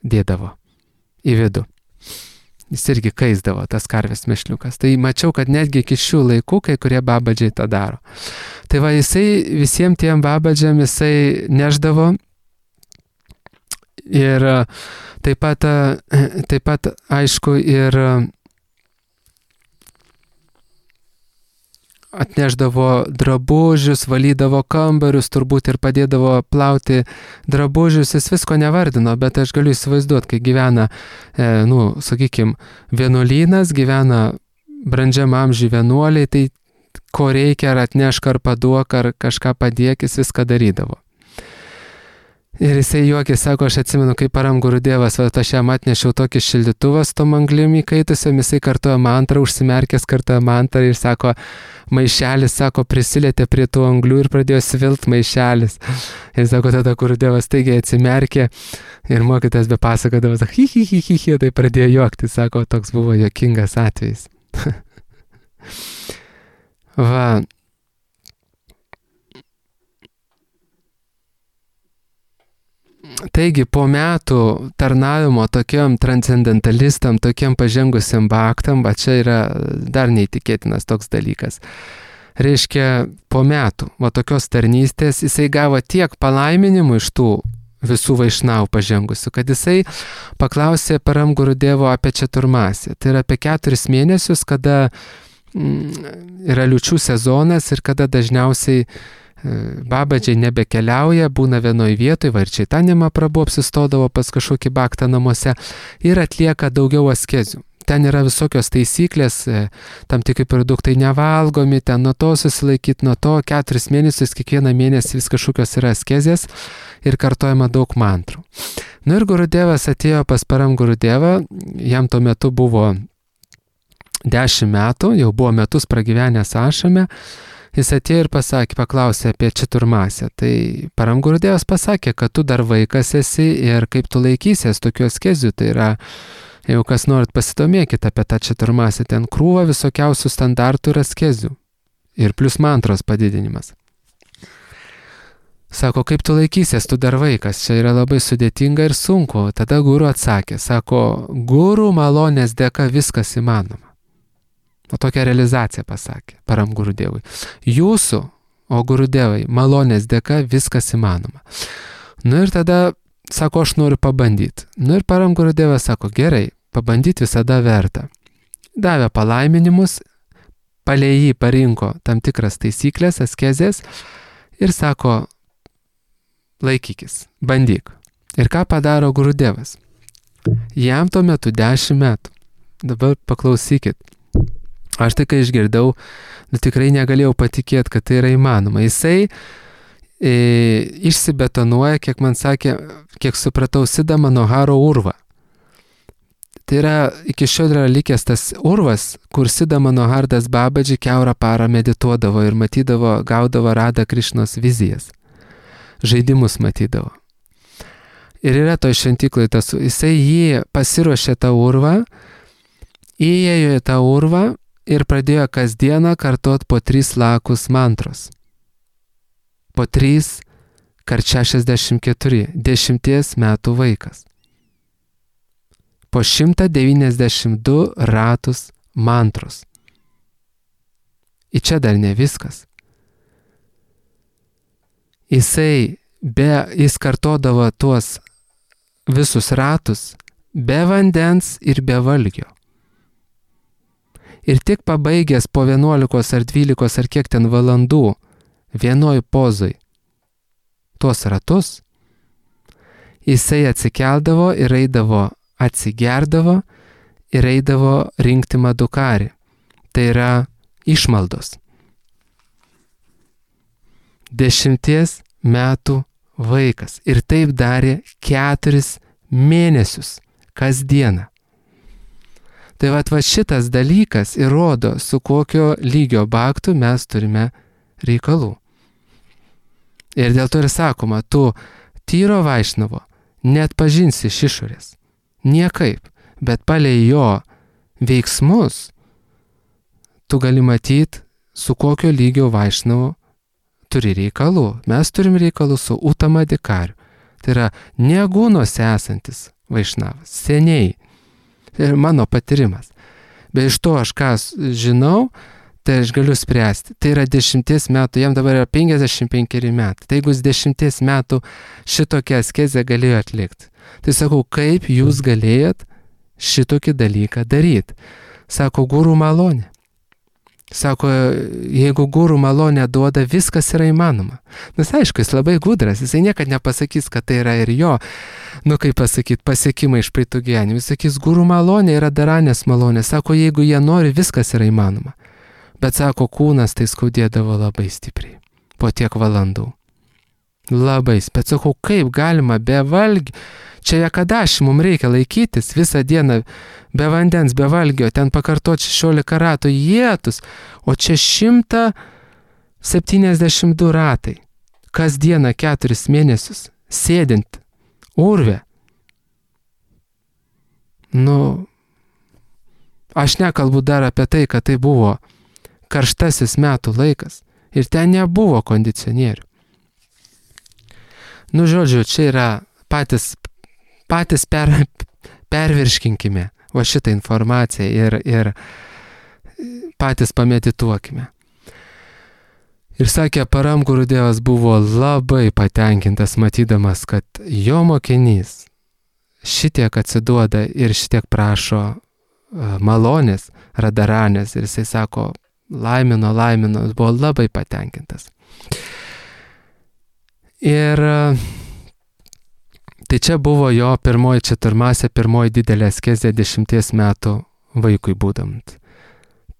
Dėdavo į vidų. Jis irgi kaisdavo tas karvės mėšliukas. Tai mačiau, kad netgi iki šių laikų kai kurie babadžiai tą daro. Tai va jisai visiems tiem babadžiam jisai neždavo ir taip pat aišku ir atneždavo drabužius, valydavo kambarius, turbūt ir padėdavo plauti drabužius, jis visko nevardino, bet aš galiu įsivaizduoti, kai gyvena, sakykime, vienuolynas, gyvena brandžiam amžiui vienuoliai, tai ko reikia, ar atnešk, ar paduok, ar kažką padėk, jis viską darydavo. Ir jisai juokė, sako, aš atsimenu, kai Param Gurudevas, aš jam atnešiau tokį šildytuvą su tom anglim įkaitusiam, jisai kartoja mantrą, užsimerkęs kartoja mantrą ir sako, maišelis, sako, prisilietė prie tų anglių ir pradėjo svilt maišelis. Ir sako, tada Gurudevas staigiai atsimerkė ir mokytas be pasakodavo, sako, hi, tai pradėjo juokti, sako, toks buvo juokingas atvejis. Va. Taigi, po metų tarnavimo tokiam transcendentalistam, tokiam pažengusiam bhaktam, va čia yra dar neįtikėtinas toks dalykas. Reiškia, po metų, va tokios tarnystės, jisai gavo tiek palaiminimų iš tų visų vaišnavų pažengusių, kad jisai paklausė Param Gurudevo apie Četurmasį. Tai yra apie 4 mėnesius, kada yra liūčių sezonas ir kada dažniausiai babadžiai nebekeliauja, būna vienoj vietoj, va ir Čaitanija Prabhu apsistodavo pas kažkokį bhaktą namuose ir atlieka daugiau askezių. Ten yra visokios taisyklės, tam tikri produktai nevalgomi, ten nuo to susilaikyti, nuo to 4 mėnesius, kiekvieną mėnesį vis kažkokios yra askezės ir kartojama daug mantrų. Ir Gurudevas atėjo pas Param Gurudevą, jam tuo metu buvo 10 metų, jau buvo metus pragyvenęs ašrame. Jis atėjo ir paklausė apie Četurmasę. Tai Param Gurudevas pasakė, kad tu dar vaikas esi ir kaip tu laikysies tokių askezių. Tai yra, jeigu kas norit, pasidomėkit apie tą Četurmasę, ten krūva visokiausių standartų ir askezių. Ir plus mantros padidinimas. Sako, kaip tu laikysies, tu dar vaikas, čia yra labai sudėtinga ir sunku. Tada guru atsakė, sako, guru malonės dėka viskas įmanoma. O tokią realizaciją pasakė Param Gurudevui. Jūsų, o Gurudevai, malonės dėka viskas įmanoma. Ir tada, sako, aš noriu pabandyti. Ir Param Gurudevas sako, gerai, pabandyti visada verta. Davė palaiminimus, palei jį parinko tam tikras taisyklės, askezės ir sako, laikykis, bandyk. Ir ką padaro Gurudevas? Jam tuo metu 10 metų. Dabar paklausykit. Aš tai, kai išgirdau, tikrai negalėjau patikėti, kad tai yra įmanoma. Jisai išsibetonuoja, kiek man sakė, kiek supratau, Siddha Manoharo urvą. Tai yra, iki šiol yra likęs tas urvas, kur Siddha Manohardas Babaji kiaurą parą medituodavo ir matydavo, gaudavo Radha Krišnos vizijas. Žaidimus matydavo. Ir yra to šventyklai tas, jisai jį pasiruošė tą urvą, įėjo į tą urvą ir pradėjo kasdieną kartot po 3 lakus mantros. Po 3 kart 64, 10 metų vaikas. Po 192 ratus mantros. Ir čia dar ne viskas. Jis kartodavo tuos visus ratus be vandens ir be valgio. Ir tik pabaigęs po 11 ar 12 ar kiek ten valandų vienoj pozoj tuos ratus, jisai atsikeldavo ir eidavo, atsigerdavo ir eidavo rinkti madukarį. Tai yra išmaldos. 10 metų vaikas. Ir taip darė 4 mėnesius kasdieną. Tai va šitas dalykas įrodo, su kokio lygio bhaktų mes turime reikalų. Ir dėl to ir sakoma, tu tyro vaišnavo net pažinsi iš išorės. Niekaip, bet palei jo veiksmus tu gali matyti, su kokio lygio vaišnavo turi reikalų. Mes turim reikalų su Uttama Adhikariu. Tai yra negūnose esantis vaišnavas. Seniai. Tai yra mano patyrimas. Bet iš to aš ką žinau, tai aš galiu spręsti. Tai yra 10 metų, jam dabar yra 55 metai. Tai jeigu 10 metų šitokią askezę galėjo atlikti. Tai sakau, kaip jūs galėjot šitokį dalyką daryti? Sako, guru malonė. Sako, jeigu guru malonę duoda, viskas yra įmanoma. Nes aišku, jis labai gudras, jisai niekad nepasakys, kad tai yra ir jo, kaip pasakyti, pasiekimai iš praeitų gyvenimų. Jis sakys, guru malonė yra daranės malonė. Sako, jeigu jie nori, viskas yra įmanoma. Bet sako, kūnas tai skaudėdavo labai stipriai. Po tiek valandų. Labai. Bet sakau, kaip galima be valgio? Čia Ekadaši mums reikia laikytis visą dieną be vandens, be valgio, ten pakartoti 16 ratų jėtus, o čia 172 ratai. Kasdieną 4 mėnesius, sėdint urve. Aš nekalbu dar apie tai, kad tai buvo karštasis metų laikas ir ten nebuvo kondicionierių. Žodžiu, čia yra patys pervirškinkime va šitą informaciją ir patys pamedituokime. Ir sakė, Param Gurudevas buvo labai patenkintas matydamas, kad jo mokinys šitiek atsiduoda ir šitiek prašo malonės, radaranės. Ir jisai sako, laimino, buvo labai patenkintas. Ir tai čia buvo jo pirmoji četurmasė, pirmoji didelė askezė 10 metų vaikui būdant.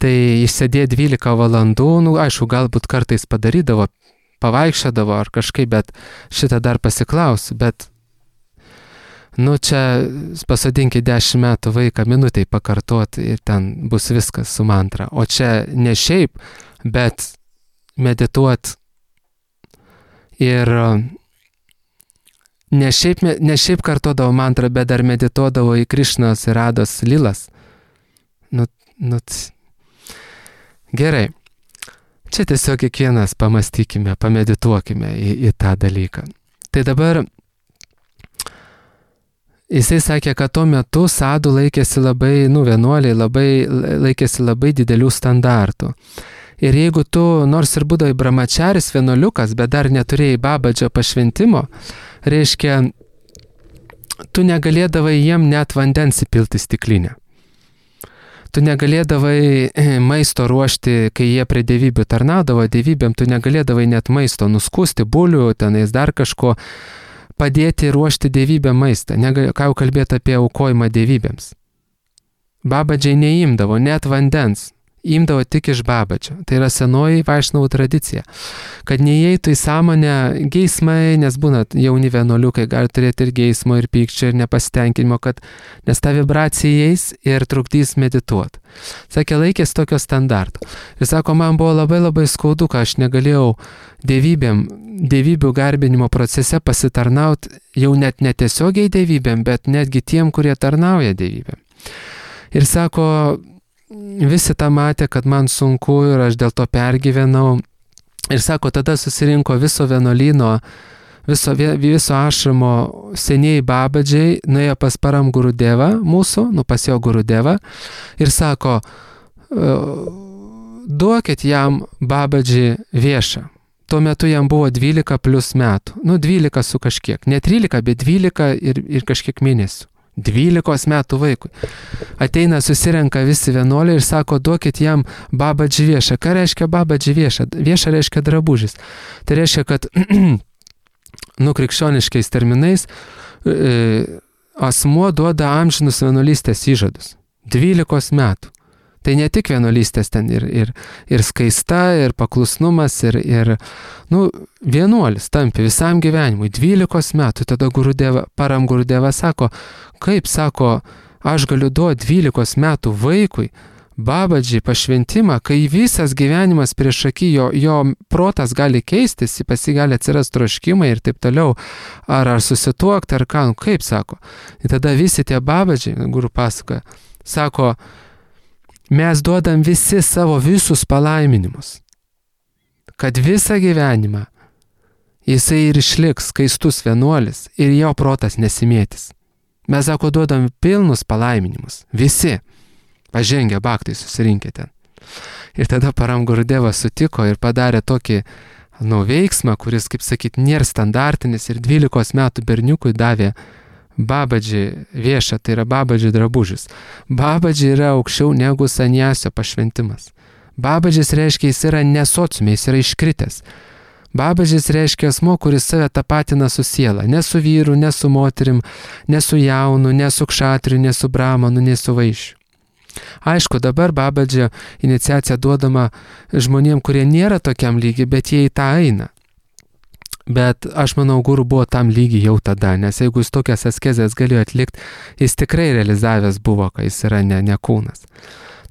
Tai išsėdė 12 valandų, aišku, galbūt kartais padarydavo, pavaikščiodavo ar kažkaip, bet šitą dar pasiklausiu, bet čia pasodinkit 10 metų vaiką minutėj pakartoti ir ten bus viskas su mantra. O čia ne šiaip, bet medituot ir ne šiaip kartodavo mantrą, bet dar medituodavo į Krišnos ir Rados lilas. Gerai. Čia tiesiog kiekvienas pamastykime, pamedituokime į tą dalyką. Tai dabar jisai sakė, kad tuo metu sadų laikėsi labai, vienuoliai laikėsi labai didelių standartų. Ir jeigu tu, nors ir būdavai brahmačaris vienuoliukas, bet dar neturėjai babadžio pašventimo, reiškia, tu negalėdavai jiem net vandens įpilti stiklinę. tu negalėdavai maisto ruošti, kai jie prie dievybių tarnaudavo, dievybėm tu negalėdavai net maisto nuskusti, bulių, tenais dar kažko, padėti ruošti dievybėm maistą. Ką jau kalbėti apie aukojimą dievybėms. Babadžiai neimdavo net vandens, imdavo tik iš babadžio. Tai yra senoji vaišnavų tradicija. Kad neįeitų į sąmonę geismai, nes būna jauni vienuoliukai, gali turėti ir geismo, ir pykčio, ir nepasitenkinimo, nes ta vibracija įeis ir trukdys medituoti. Sakė, laikės tokio standarto. Ir sako, man buvo labai labai skaudu, kad aš negalėjau dievybių garbinimo procese pasitarnauti jau net netiesiogiai dievybėm, bet netgi tiem, kurie tarnauja dievybėm. Ir sako, visi tą matė, kad man sunku ir aš dėl to pergyvenau. Ir sako, tada susirinko viso vienuolyno, viso ašramo senieji babadžiai, nuėjo pas Param Gurudevą mūsų, pas jo Gurudevą, ir sako, duokit jam babadžį viešą. Tuo metu jam buvo 12 plus metų. 12 su kažkiek. Ne 13, bet 12 ir kažkiek mėnesių. 12 metų vaikui. Ateina, susirenka visi vienuoliai ir sako, duokit jam babadžį viešą. Ką reiškia babadžį viešą? Viešą reiškia drabužis. Tai reiškia, kad krikščioniškais terminais asmuo duoda amžinus vienuolystės įžadus. 12 metų. Tai ne tik vienuolystės ten ir skaista, ir paklusnumas, ir vienuolis tampi visam gyvenimui. 12 metų. Tada Param Gurudeva sako, kaip sako, aš galiu duoti 12 metų vaikui babadžiai pašventimą, kai visas gyvenimas prieš akį, jo protas gali keistis, pas jį gali atsirasti troškimai ir taip toliau, ar susituokti, ar ką, kaip sako. Ir tada visi tie babadžiai, guru pasakoja, sako, mes duodam visi savo visus palaiminimus, kad visą gyvenimą jisai ir išliks skaistus vienuolis ir jo protas nesimėtis. Mes, sako, duodam pilnus palaiminimus. Visi pažengę baktai susirinkę ten. Ir tada Param Gurudevas sutiko ir padarė tokį veiksmą, kuris, kaip sakyt, nėra standartinis ir 12 metų berniukui davė babadžį viešą, tai yra babadžį drabužis. Babadžį yra aukščiau negu sanjasio pašventimas. Babadžis reiškia, jis yra nesociume, jis yra iškritęs. Babadžis reiškia asmo, kuris save tapatina su siela. Ne su vyru, ne su moterim, ne su jaunu, ne su kšatriu, ne su bramanu, ne su vaišiu. Aišku, dabar babadžio iniciacija duodama žmonėm, kurie nėra tokiam lygiai, bet jie į tą eina. Bet aš manau, guru buvo tam lygiai jau tada, nes jeigu jis tokias askezės galėjo atlikti, jis tikrai realizavęs buvo, kad jis yra ne kūnas.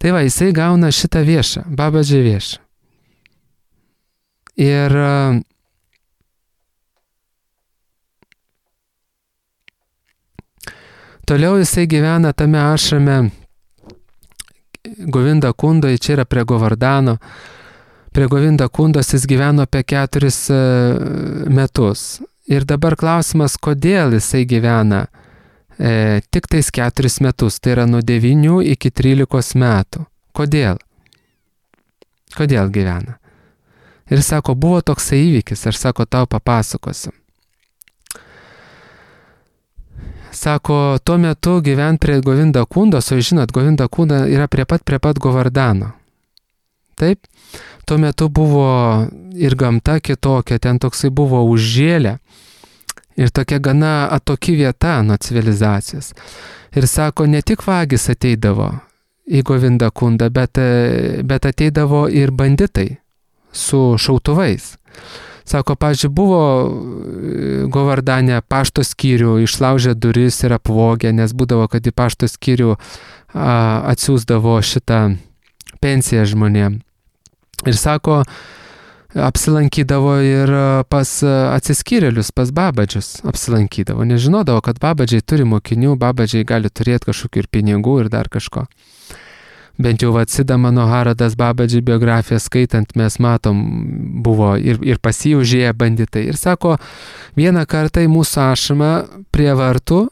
Tai va, jisai gauna šitą viešą, babadžį viešą. Ir toliau jisai gyvena tame ašrame Govinda Kundoj, čia yra prie Govardano. Prie Govinda Kundos jis gyveno apie 4 metus. Ir dabar klausimas, kodėl jisai gyvena tik tais 4 metus, tai yra nuo 9 iki 13 metų. Kodėl? Kodėl gyvena? Ir sako, buvo toksai įvykis, aš sako, tau papasakosiu. Sako, tuo metu gyvent prie Govinda Kundos, o žinot, Govinda Kunda yra prie pat Govardano. Taip? Tuo metu buvo ir gamta kitokia, ten toksai buvo užžėlę ir tokia gana atoki vieta nuo civilizacijos. Ir sako, ne tik vagis ateidavo į Govinda Kundą, bet ateidavo ir banditai su šautuvais. Sako, pavyzdžiui, buvo Govardane pašto skyrių, išlaužė duris ir apvogė, nes būdavo, kad į pašto skyrių atsiųsdavo šitą pensiją žmonėm. Ir sako, apsilankydavo ir pas atsiskyrėlius, pas babadžius apsilankydavo. Nežinodavo, kad babadžiai turi mokinių, babadžiai gali turėti kažkokių ir pinigų ir dar kažko. Bent jau Sida Manoharadas babadžių biografiją skaitant, mes matom, buvo ir pas jį užėję banditai. Ir sako, vieną kartą į mūsų ašramą prie vartų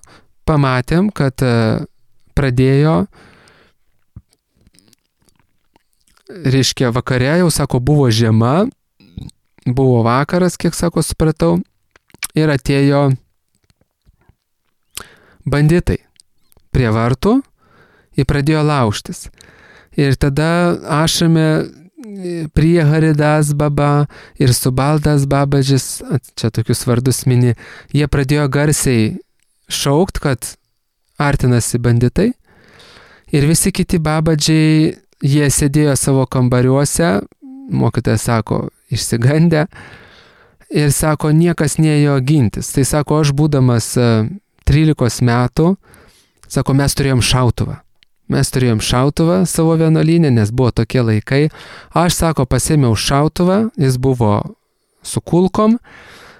pamatėm, kad pradėjo, reiškia, vakare jau, sako, buvo žiema, buvo vakaras, kiek, sako, supratau, ir atėjo banditai prie vartų ir pradėjo laužtis. Ir tada Ašame prie Haridas baba ir Subaldas babažis, čia tokius vardus mini, jie pradėjo garsiai šaukt, kad artinasi banditai. Ir visi kiti babadžiai, jie sėdėjo savo kambariuose, mokytojas sako, išsigandę, ir sako, niekas neėjo gintis. Tai sako, aš būdamas 13 metų, sako, mes turėjom šautuvą. Mes turėjom šautuvą savo vienuolyne, nes buvo tokie laikai. Aš, sako, pasėmiau šautuvą, jis buvo su kulkom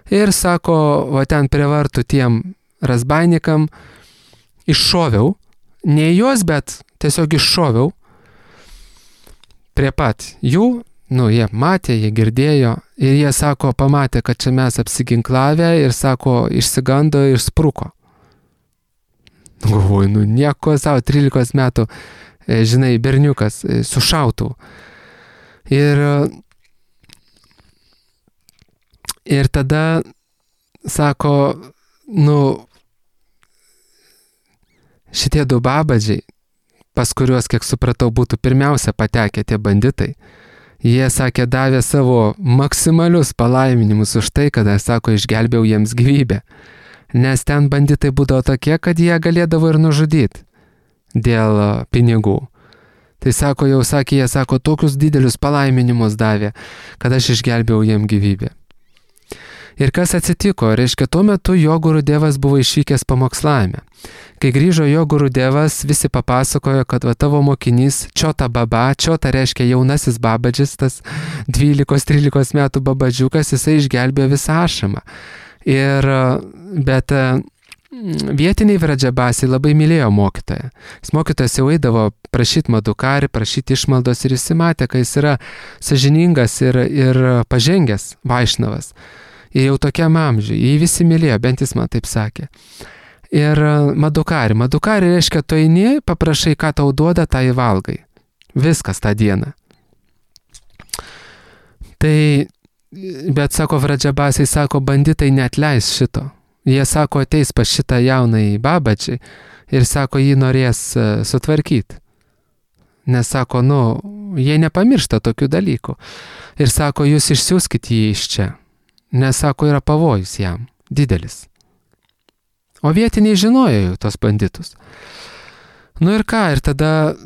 ir, sako, va ten prie vartų tiem razbainikam iššoviau. Ne juos, bet tiesiog iššoviau prie pat jų. Jie matė, jie girdėjo ir jie, sako, pamatė, kad čia mes apsiginklavę ir, sako, išsigando ir spruko. Galvoju, nieko savo, 13 metų, žinai, berniukas su šautuvu. Ir tada, sako, šitie 2 babadžiai, pas kuriuos, kiek supratau, būtų pirmiausia patekę tie banditai, jie, sakė, davė savo maksimalius palaiminimus už tai, kada, sako, išgelbėjau jiems gyvybę. Nes ten banditai būdavo tokie, kad jie galėdavo ir nužudyti dėl pinigų. Tai sako, jau sakė, jie, sako, tokius didelius palaiminimus davė, kad aš išgelbėjau jiem gyvybę. Ir kas atsitiko? Reiškia, tuo metu jo Gurudevas buvo išvykęs pamokslavime. Kai grįžo jo Gurudevas, visi papasakojo, kad va tavo mokinys Čiota baba, Čiota reiškia jaunasis babadžis, tas 12-13 metų babadžiukas, jisai išgelbėjo visą Ašamą. Bet vietiniai Vradžabasiai labai mylėjo mokytoją. Mokytojas jau eidavo prašyti Madukari, prašyti išmaldos ir jis matė, kad jis yra sąžiningas ir pažengęs Vaišnavas. Ir jau tokiam amžiui, jį visi mylėjo, bent jis man taip sakė. Ir Madukari reiškia, tu eini, paprašai, ką tau duoda, tą įvalgai. Viskas tą dieną. Bet, sako, Vradžabasiai, sako, banditai neatleis šito. Jie, sako, ateis pas šitą jaunąjį babadžį ir, sako, jį norės sutvarkyti. Nes, sako, jie nepamiršta tokių dalykų. Ir, sako, jūs išsiųskit jį iš čia. Nes, sako, yra pavojus jam, didelis. O vietiniai žinojo jau tos banditus. Ir ką, ir tada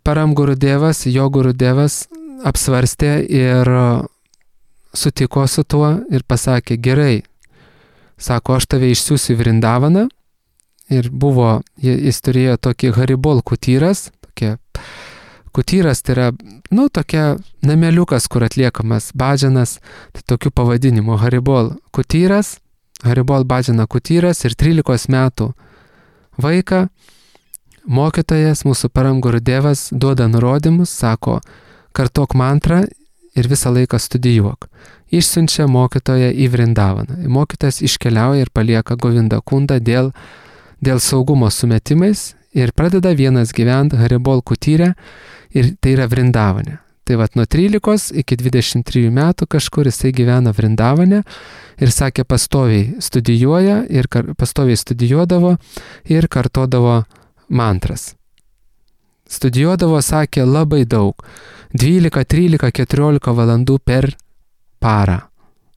Param Gurudevas, jo Gurudevas apsvarstė ir sutiko su tuo ir pasakė, gerai, sako, aš tave išsiųsiu į Vrindavaną. Ir jis turėjo tokį Haribol kutyras, kutyras tai yra, tokia nameliukas, kur atliekamas badžianas, tai tokiu pavadinimu Haribol kutyras, Haribol badžiana kutyras ir 13 metų vaiką mokytojas, mūsų Param Gurudevas, duoda nurodymus, sako, kartok mantrą ir visą laiką studijuok. Išsiunčia mokytoją į Vrindavaną. Mokytojas iškeliauja ir palieka Govinda Kundą dėl saugumo sumetimais ir pradeda vienas gyventi Haribol kutyre ir tai yra Vrindavane. Tai nuo 13 iki 23 metų kažkur jisai gyvena Vrindavane ir sakė, pastoviai studijuoja ir pastoviai studijuodavo ir kartodavo mantras. Studijuodavo, sakė, labai daug. 12, 13, 14 valandų per parą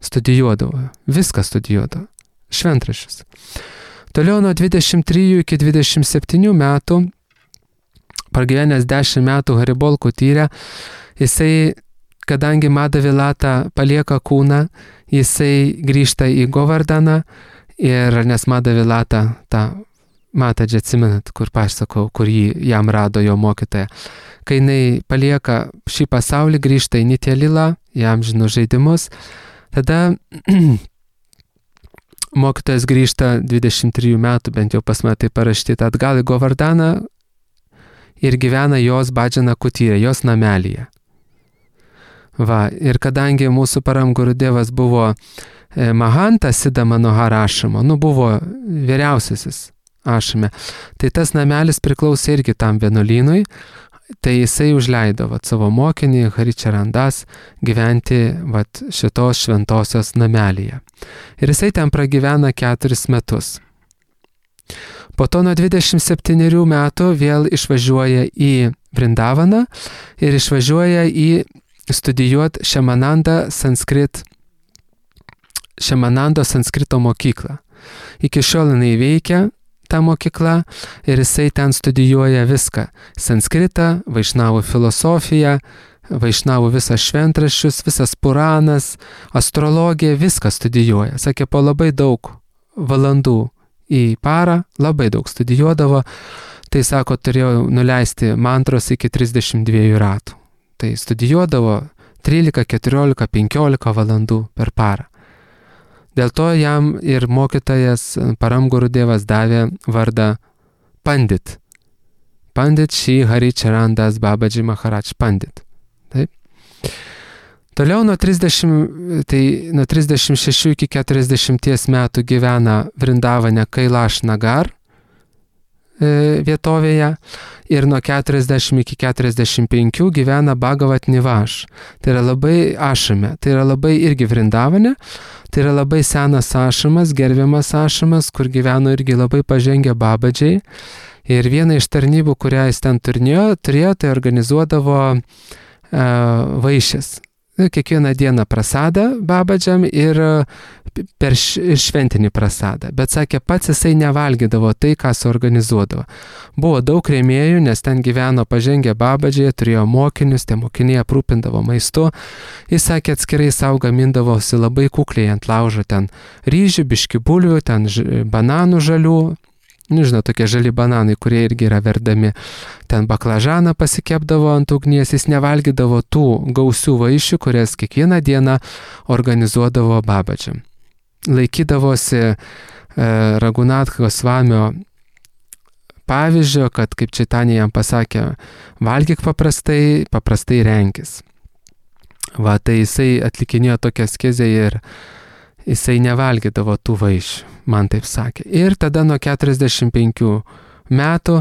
studijuodavo. Viską studijuodavo. Šventraščius. Toliau nuo 23 iki 27 metų, pragyvenęs 10 metų Haribol kutyre, jisai, kadangi Madavilata palieka kūną, jisai grįžta į Govardaną ir nes Madavilata Matadži, atsimenat, kur pasakau, kur jam rado jo mokytoja. Kai jinai palieka šį pasaulį, grįžta į Nitjelilą, į amžinus žaidimus, tada mokytojas grįžta 23 metų, bent jau pas mane tai parašyta, atgal į Govardaną ir gyvena jos badžiana kutyre, jos namelyje. Ir kadangi mūsų Param Gurudevas buvo Mahanta Sidamano Harašamo, buvo vyriausiasis Ašame, tai tas namelis priklausė irgi tam vienuolynui, tai jisai užleido savo mokinį Haričarandas gyventi šitos šventosios namelyje. Ir jisai ten pragyvena 4 metus. Po to nuo 27 metų vėl išvažiuoja į Vrindavaną ir išvažiuoja į studijuoti Šemanando Sanskrito mokyklą. Iki šiol jinai veikia ta mokykla ir jisai ten studijuoja viską. Sanskritą, vaišnavų filosofiją, vaišnavų visas šventraščius, visas Puranas, astrologiją, viską studijuoja. Sakė, po labai daug valandų į parą, labai daug studijuodavo. Tai sako, turėjau nuleisti mantros iki 32 ratų. Tai studijuodavo 13, 14, 15 valandų per parą. Dėl to jam ir mokytojas Paramgurudevas davė vardą Pandit. Pandit Shri Hari Charan Das Babaji Maharaj Pandit. Taip. Toliau nuo 36 iki 40 metų gyvena Vrindavane Kailash Nagar vietovėje ir nuo 40 iki 45 gyvena Bhagavat Nivaš. Tai yra labai ašame, tai yra labai irgi Vrindavane, tai yra labai senas ašamas, gerbiamas ašamas, kur gyveno irgi labai pažengę babadžiai. Ir viena iš tarnybų, kurią jis ten turėjo, tai organizuodavo vaišės. Kiekvieną dieną prasadą babadžiam ir per šventinį prasadą. Bet sakė, pats jisai nevalgydavo tai, ką suorganizuodavo. Buvo daug rėmėjų, nes ten gyveno pažengę babadžiai, turėjo mokinius, tie mokiniai aprūpindavo maistu. Jis sakė, atskirai savo gamindavosi labai kukliai ant laužo ten ryžių, biški bulvių, ten bananų žalių. Nežinau, tokie žali bananai, kurie irgi yra verdami. Ten baklažaną pasikepdavo ant ugnies, jis nevalgydavo tų gausių vaišių, kurias kiekvieną dieną organizuodavo babadžiam. Laikydavosi Ragunath Gosvamio pavyzdžio, kad kaip Čaitanija jam pasakė, valgyk paprastai renkis. Va, tai jisai atlikinėjo tokią askezę ir jisai nevalgydavo tų vaišių, man taip sakė. Ir tada nuo 45 metų,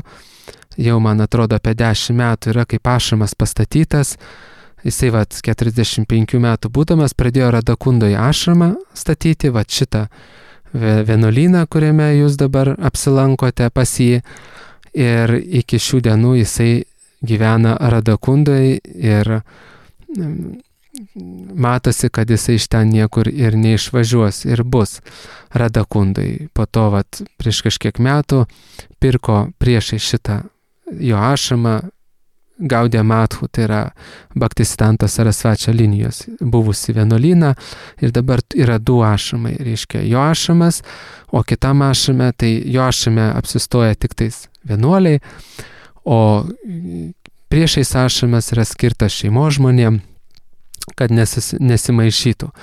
jau man atrodo apie 10 metų yra kaip ašamas pastatytas, jisai 45 metų būdamas pradėjo Radakundoje ašramą statyti, šitą vienuolyną, kuriame jūs dabar apsilankote pas jį. Ir iki šių dienų jisai gyvena Radakundoje ir matosi, kad jisai iš ten niekur ir neišvažiuos ir bus Radakundai. Po to prieš kažkiek metų pirko priešai šitą jo ašramą Gaudija Mathu, tai yra Bhaktisiddhanta Sarasvačio linijos buvusi vienuolyną ir dabar yra du ašramai, reiškia jo ašramas, o kitam ašrame, tai jo ašrame apsistoja tik tais vienuoliai, o priešais ašramas yra skirtas šeimos žmonėm, kad nesimaišytų.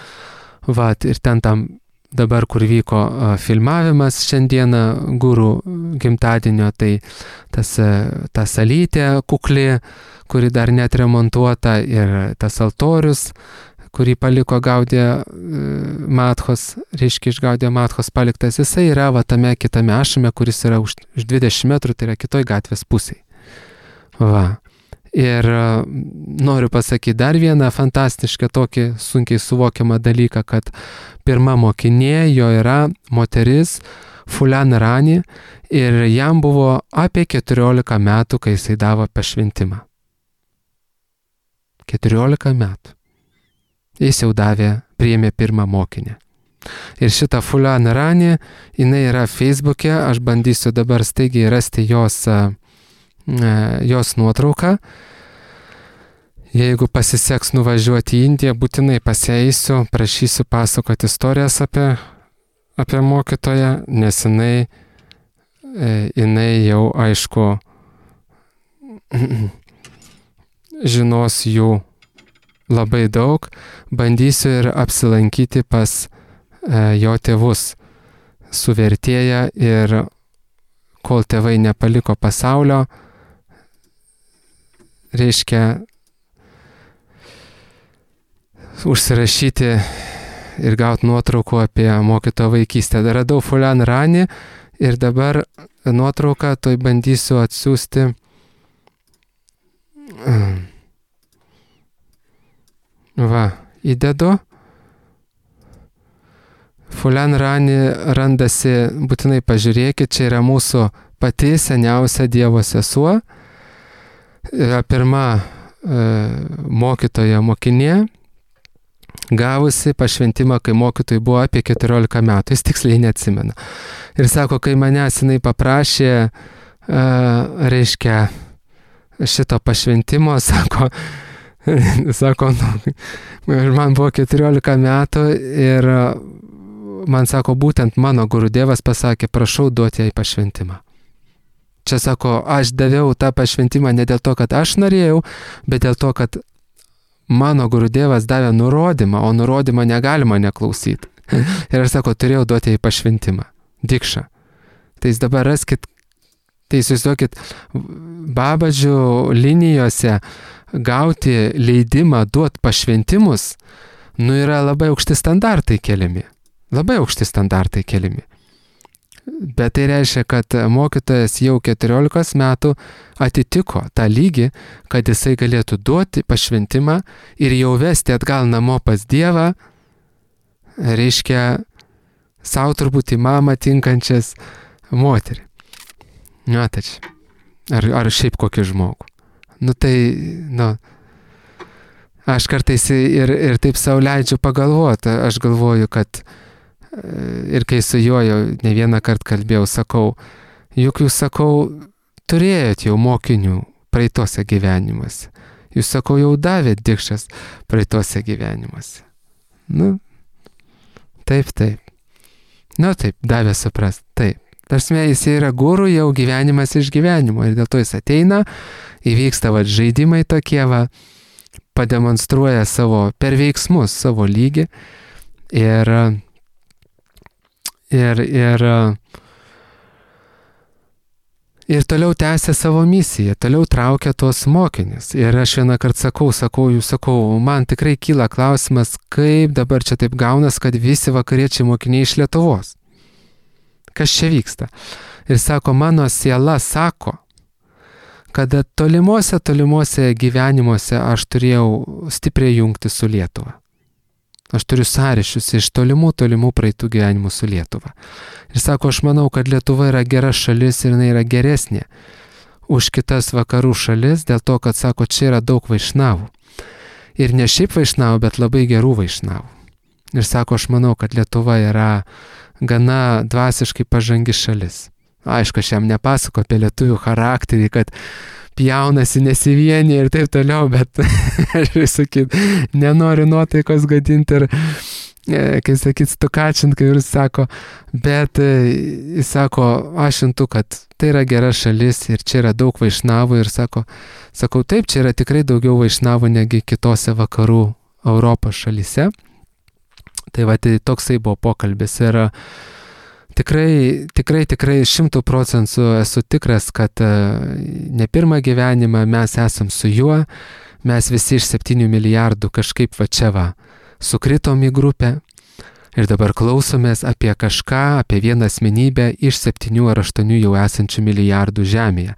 Ir ten tam dabar, kur vyko filmavimas šiandieną gurų gimtadienio, tai ta salytė kukli, kuri dar net remontuota, ir tas altorius, kurį paliko Gaudija Mathos, reiškia iš Gaudija Mathos paliktas, jisai yra tame kitame ašrame, kuris yra už 20 metrų, tai yra kitoj gatvės pusėje. Ir noriu pasakyti dar vieną fantastišką tokį sunkiai suvokiamą dalyką, kad pirma mokinė jo yra moteris Fulan Rani ir jam buvo apie 14 metų, kai jisai davo pašventimą. 14 metų. Jis jau priėmė pirmą mokinę. Ir šitą Fulan Rani, jinai yra Facebook'e, aš bandysiu dabar staigiai rasti jos nuotrauką. Jeigu pasiseks nuvažiuoti į Indiją, būtinai pasieisiu, prašysiu pasakoti istorijas apie mokytoją, nes jinai jau aišku žinos jų labai daug. Bandysiu ir apsilankyti pas jo tėvus su vertėja ir kol tėvai nepaliko pasaulio, reiškia užsirašyti ir gauti nuotraukų apie mokytojo vaikystę. Radau Fulan Rani ir dabar nuotrauką toj bandysiu atsiųsti. Įdedu. Fulan Rani randasi, būtinai pažiūrėkit, čia yra mūsų pati seniausia Dievo sesuo. yra pirma mokytoja mokinė, gavusi pašventimą, kai mokytojui buvo apie 14 metų, jis tiksliai neatsimena. Ir sako, kai manęs jinai paprašė, reiškia, šito pašventimo, sako, man buvo 14 metų ir man sako, būtent mano Gurudevas pasakė, prašau duoti jai pašventimą. Čia sako, aš daviau tą pašventimą ne dėl to, kad aš norėjau, bet dėl to, kad mano Gurudevas davė nurodymą, o nurodymą negalima neklausyti. Ir aš sako, turėjau duoti jai pašventimą. Dikša. Tai jūs dabar raskit, tai įsivaizduokit, Babadžių linijose gauti leidimą duoti pašventimus, yra labai aukšti standartai keliami. Labai aukšti standartai keliami. Bet tai reiškia, kad mokytojas jau 14 metų atitiko tą lygį, kad jisai galėtų duoti pašventimą ir jau vesti atgal namo pas Dievą, reiškia, savo turbūt į mamą tinkančias moterį. Tačiau. Ar šiaip kokį žmogų. Aš kartais ir taip savo leidžiu pagalvoti. Aš galvoju, kad ir kai su juo jau ne vieną kartą kalbėjau, sakau, juk jūs, sakau, turėjot jau mokinių praeitose gyvenimuose. Jūs, sakau, jau davėt dikšas praeitose gyvenimuose. Taip. Taip, davė suprast, taip. Tarsi jis yra guru jau gyvenimas iš gyvenimo ir dėl to jis ateina, įvyksta žaidimai tokie, pademonstruoja per veiksmus savo lygį ir toliau tęsia savo misiją, toliau traukia tuos mokinius. Ir aš vieną kartą sakau, man tikrai kyla klausimas, kaip dabar čia taip gaunas, kad visi vakariečiai mokiniai iš Lietuvos. Kas čia vyksta? Ir sako, mano siela sako, kad tolimuose gyvenimuose aš turėjau stipriai jungti su Lietuva. Aš turiu sąryšius iš tolimų praeitų gyvenimų su Lietuva. Ir sako, aš manau, kad Lietuva yra gera šalis ir jinai yra geresnė už kitas vakarų šalis, dėl to, kad, sako, čia yra daug vaišnavų. Ir ne šiaip vaišnavų, bet labai gerų vaišnavų. Ir sako, aš manau, kad Lietuva yra gana dvasiškai pažangi šalis. Aišku, aš jam nepasako apie lietuvių charakterį, kad pjaunasi, nesivienyje ir taip toliau, bet aš sakyt, nenoriu nuotaikos gadinti ir, kai sakyt, stukačint, kai ir sako, bet jis sako, aš intu, kad tai yra gera šalis ir čia yra daug vaišnavų ir sakau, taip, čia yra tikrai daugiau vaišnavų negi kitose vakarų Europos šalyse. Tai toksai buvo pokalbis ir tikrai 100% esu tikras, kad ne pirmą gyvenimą mes esam su juo, mes visi iš 7 milijardų kažkaip sukritom į grupę ir dabar klausomės apie kažką, apie vieną asmenybę iš 7 ar 8 jau esančių milijardų žemėje.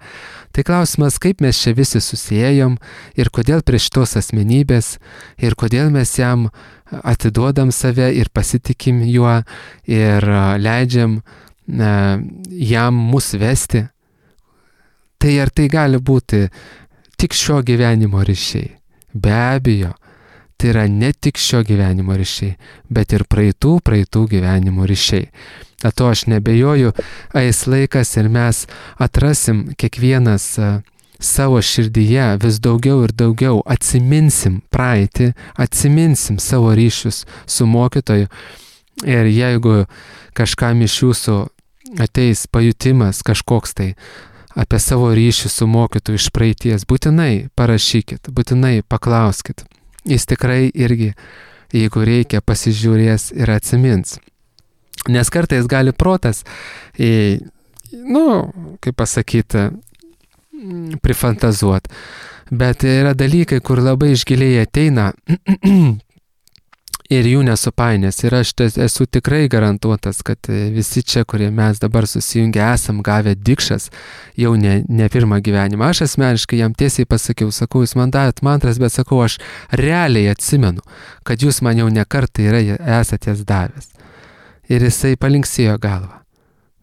Tai klausimas, kaip mes čia visi susijėjom ir kodėl prie šitos asmenybės ir kodėl mes jam atiduodam save ir pasitikim juo ir leidžiam jam mus vesti. Tai ar tai gali būti tik šio gyvenimo ryšiai? Be abejo, tai yra ne tik šio gyvenimo ryšiai, bet ir praeitų gyvenimo ryšiai. To aš nebejoju, eis laikas ir mes atrasim kiekvienas savo širdyje vis daugiau ir daugiau, atsiminsim praeitį, atsiminsim savo ryšius su mokytoju. Ir jeigu kažkam iš jūsų ateis pajutimas kažkoks tai apie savo ryšių su mokytoju iš praeities, būtinai parašykit, būtinai paklauskit. Jis tikrai irgi, jeigu reikia, pasižiūrės ir atsimins. Nes kartais gali protas, kaip pasakyti, prifantazuot. Bet yra dalykai, kur labai išgiliai ateina ir jų nesupainės. Ir aš esu tikrai garantuotas, kad visi čia, kurie mes dabar susijungę esam gavę dikšas, jau ne pirmą gyvenimą. Aš asmeniškai jam tiesiai pasakiau, sakau, jūs man davėt mantras, bet sakau, aš realiai atsimenu, kad jūs man jau ne kartą esate jas davęs. Ir jisai palinksėjo galvą.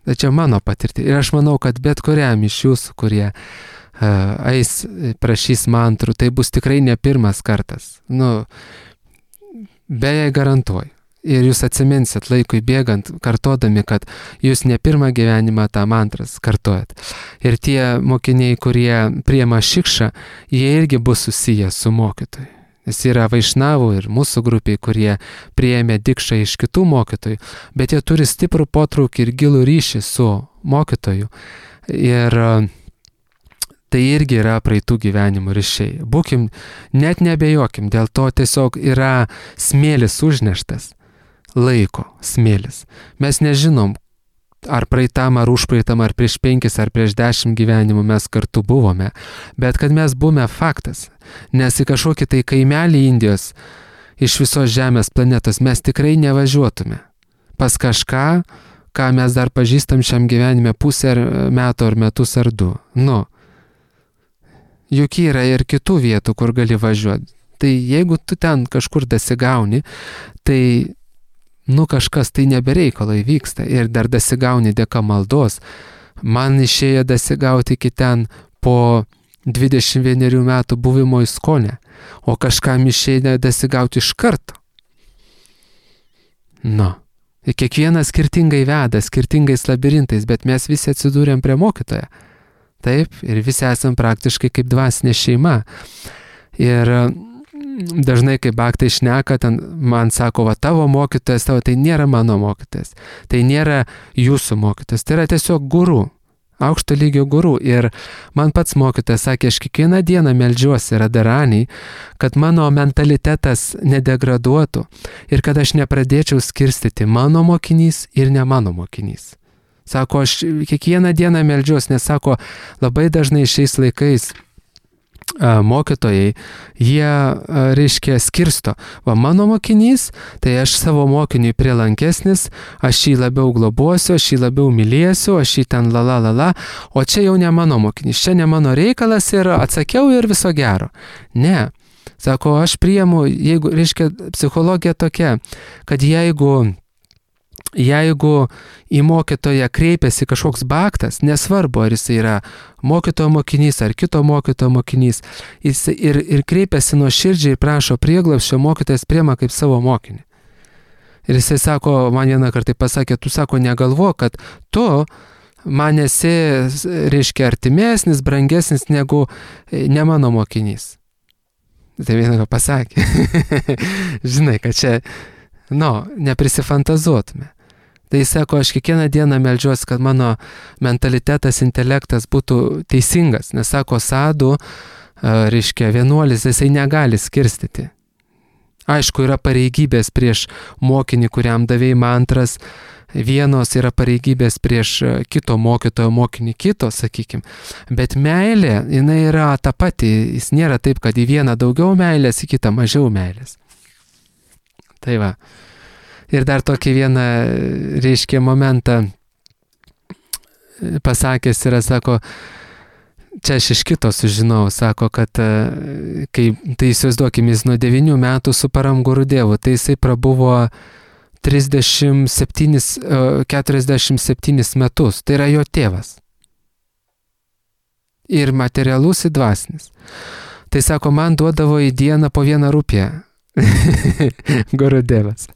Tai čia mano patirtis. Ir aš manau, kad bet kuriam iš jūsų, kurie eis, prašys mantrų, tai bus tikrai ne pirmas kartas. Beje garantuoju. Ir jūs atsiminsit laikui bėgant, kartodami, kad jūs ne pirmą gyvenimą tą mantras kartojat. Ir tie mokiniai, kurie priima šikšą, jie irgi bus susiję su mokytoju. Nes yra vaišnavų ir mūsų grupiai, kurie priėmė dikšą iš kitų mokytojų, bet jie turi stiprų potraukį ir gilų ryšį su mokytoju. Ir tai irgi yra praeitų gyvenimų ryšiai. Būkim, net nebejokim, dėl to tiesiog yra smėlis užneštas. Laiko smėlis. Mes nežinom, ar praeitam, ar užpraeitam, ar prieš 5, ar prieš 10 gyvenimų mes kartu buvome, bet kad mes buvome faktas, nes į kažkokį tai kaimelį Indijos iš visos Žemės planetos mes tikrai nevažiuotume pas kažką, ką mes dar pažįstam šiam gyvenime pusę metų ar metus ar 2. Juk yra ir kitų vietų, kur gali važiuoti. Tai jeigu tu ten kažkur dasigauni, tai kažkas tai nebereikalo įvyksta ir dar dasigauni dėka maldos. Man išėjo dasigauti iki ten po 21 metų buvimo Iskone, o kažkam išėjo dasigauti iš karto. Ir kiekvienas skirtingai veda, skirtingais labirintais, bet mes visi atsidūrėm prie mokytojo. Taip, ir visi esam praktiškai kaip dvasinė šeima. Ir dažnai, kai baktai šneka, ten man sako, tavo mokytojas, tai nėra mano mokytojas, tai nėra jūsų mokytojas, tai yra tiesiog guru, aukšto lygio guru. Ir man pats mokytojas sakė, aš kiekvieną dieną meldžiuosi Radharani, kad mano mentalitetas nedegraduotų ir kad aš nepradėčiau skirstyti mano mokinys ir ne mano mokinys. Sako, aš kiekvieną dieną meldžiuosi, nes sako, labai dažnai šiais laikais mokytojai, jie, reiškia, skirsto. Mano mokinys, tai aš savo mokiniui prielankesnis, aš jį labiau globosiu, aš jį labiau mylėsiu, aš jį ten o čia jau ne mano mokinys, čia ne mano reikalas ir atsakiau ir viso gero. Ne. Sako, aš priimu, jeigu, reiškia, psichologija tokia, kad jeigu į mokytoją kreipiasi kažkoks baktas, nesvarbu, ar jis yra mokytojo mokinys ar kito mokytojo mokinys, jis ir kreipiasi nuoširdžiai ir prašo prieglobsčio, mokytojas priima kaip savo mokinį. Ir jisai sako, man vieną kartą pasakė, tu sako, negalvo, kad tu man esi, reiškia, artimesnis, brangesnis negu ne mano mokinys. Tai vieną pasakė. Žinai, kad čia, neprisifantazuotume. Tai jis sako, aš kiekvieną dieną meldžiuosi, kad mano mentalitetas, intelektas būtų teisingas, nes sako, sadhu, reiškia, vienuolis, jisai negali skirstyti. Aišku, yra pareigybės prieš mokinį, kuriam davėjai mantras, vienos yra pareigybės prieš kito mokytojo mokinį, kito, sakykim. Bet meilė, jinai yra ta pati, jis nėra taip, kad į vieną daugiau meilės, į kitą mažiau meilės. Tai va. Ir dar tokį vieną, reiškia, momentą pasakęs yra, sako, čia aš iš kito sužinau, sako, kad kai, tai įsivaizduokim, jis nuo 9 metų su Param Gurudevu, tai jisai prabuvo 47 metus, tai yra jo tėvas. Ir materialus, ir dvasinis. Tai sako, man duodavo į dieną po 1 rupiją. Gurudevas.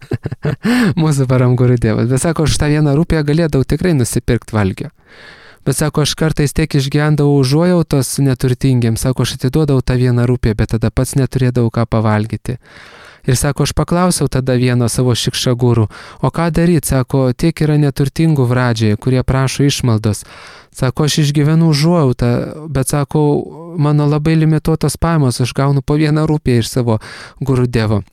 Mūsų Param Gurudevas. Bet sako, aš tą 1 rupiją galėdavau tikrai nusipirkti valgio. Bet sako, aš kartais tiek išgyvendavau užuojautos neturtingiems, sako, aš atiduodavau tą 1 rupiją, bet tada pats neturėdavau ką pavalgyti. Ir sako, aš paklausiau tada vieno savo šikšagūrų, o ką daryti, sako, tiek yra neturtingų Vradžioje, kurie prašo išmaldos. Sako, aš išgyvenu užuojautą, bet sako, mano labai limituotos pajamos, aš gaunu po 1 rupiją iš savo Gurudevo.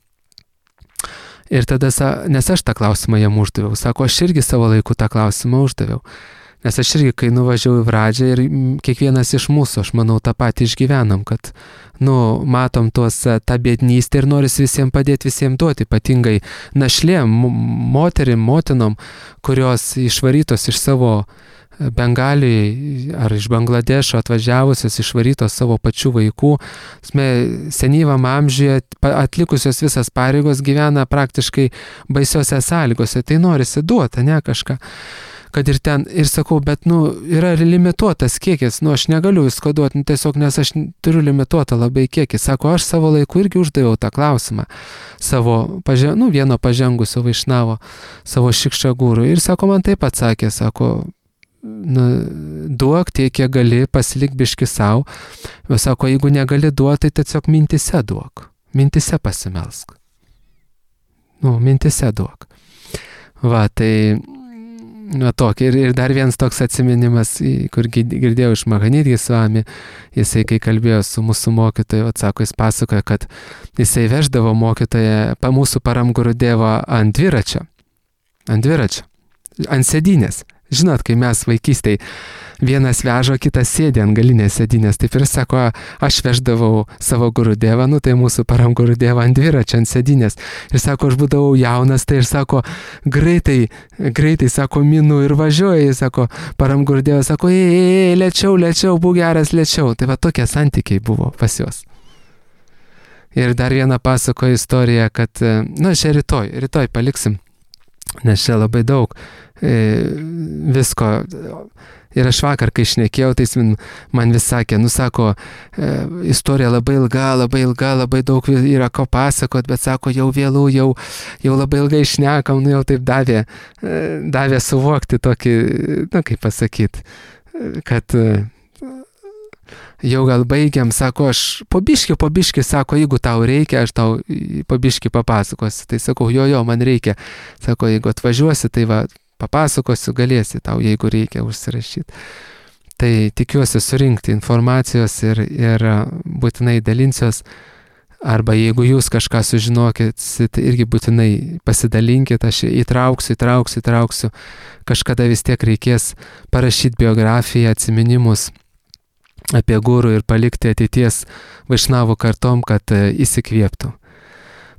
Ir tada, nes aš tą klausimą jam uždaviau, sako, aš irgi savo laiku tą klausimą uždaviau. Nes aš irgi, kai nuvažiavau į Vradžią ir kiekvienas iš mūsų, aš manau, tą patį išgyvenam, kad, matom tą biednystę ir noris visiems padėti, visiems duoti, ypatingai našlėm, moterim, motinom, kurios išvarytos iš savo Bengalijai ar iš Bangladešo atvažiavusios, išvarytos savo pačių vaikų, senyvam amžiuje atlikusios visas pareigos gyvena praktiškai baisiose sąlygose, tai norisi duoti, ne kažką. kad ir ten, ir sakau, bet, yra limituotas kiekis, aš negaliu visko duoti, tiesiog, nes aš turiu limituotą labai kiekį. Sako, aš savo laiku irgi uždaviau tą klausimą savo, vieno pažengusio vaišnavo, savo šikšagūrų. Ir sako, man taip atsakė, sako, duok tiek, kiek gali, pasilik biški savo. Sako, jeigu negali duoti, tai tiesiog mintise duok. Mintise pasimelsk. Mintise duok. Va, tai tokį. Ir dar vienas toks atsiminimas, kur girdėjau iš Mahanidgi Svami, jisai, kai kalbėjo su mūsų mokytoju, atsako, jis pasakoja, kad jisai veždavo mokytoją, mūsų Param Gurudevą ant dviračio, ant sėdynės. Žinot, kai mes vaikystėj vienas vežo, kitas sėdė ant galinės sėdynės, taip ir sako, aš veždavau savo Gurudevą, tai mūsų Param Gurudevą ant dviračio, ant sėdynės. Ir sako, aš būdavau jaunas, tai ir sako, greitai, sako, minu ir važiuoja, sako, Param Gurudevas, sako, lėčiau, būk geras, lėčiau. Tai va tokie santykiai buvo pas juos. Ir dar vieną pasakoju istoriją, kad, čia rytoj paliksim, nes čia labai daug visko. Ir aš vakar, kai šnekėjau, tai jis man vis sakė, sako, istorija labai ilga, labai daug yra ko pasakot, bet sako, jau vėlų, jau labai ilgai šnekam, jau taip davė suvokti tokį, kaip pasakyti, kad jau gal baigiam, sako, aš po biškį, sako, jeigu tau reikia, aš tau po biškį papasakosiu. Tai sakau, jo, man reikia. Sako, jeigu atvažiuosi, tai va, papasakosiu, galėsi tau, jeigu reikia užsirašyti. Tai tikiuosi surinkti informacijos ir būtinai dalinsiuos. Arba jeigu jūs kažką sužinokit, irgi būtinai pasidalinkit, aš įtrauksiu. Kažkada vis tiek reikės parašyti biografiją, atsiminimus apie gurų ir palikti ateities vaišnavų kartom, kad įsikvėptų.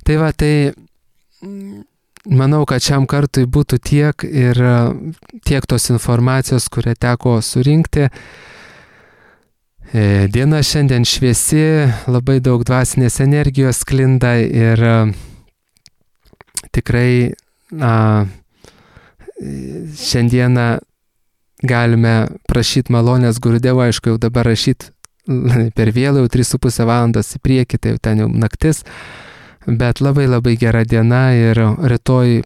Tai va, manau, kad šiam kartui būtų tiek tos informacijos, kurią teko surinkti. Diena šiandien šviesi, labai daug dvasinės energijos sklinda ir tikrai šiandieną galime prašyti malonės Gurudevo, aišku, jau dabar rašyti per vėlų, jau 3,5 valandos į priekį, tai jau ten jau naktis, bet labai gera diena ir rytoj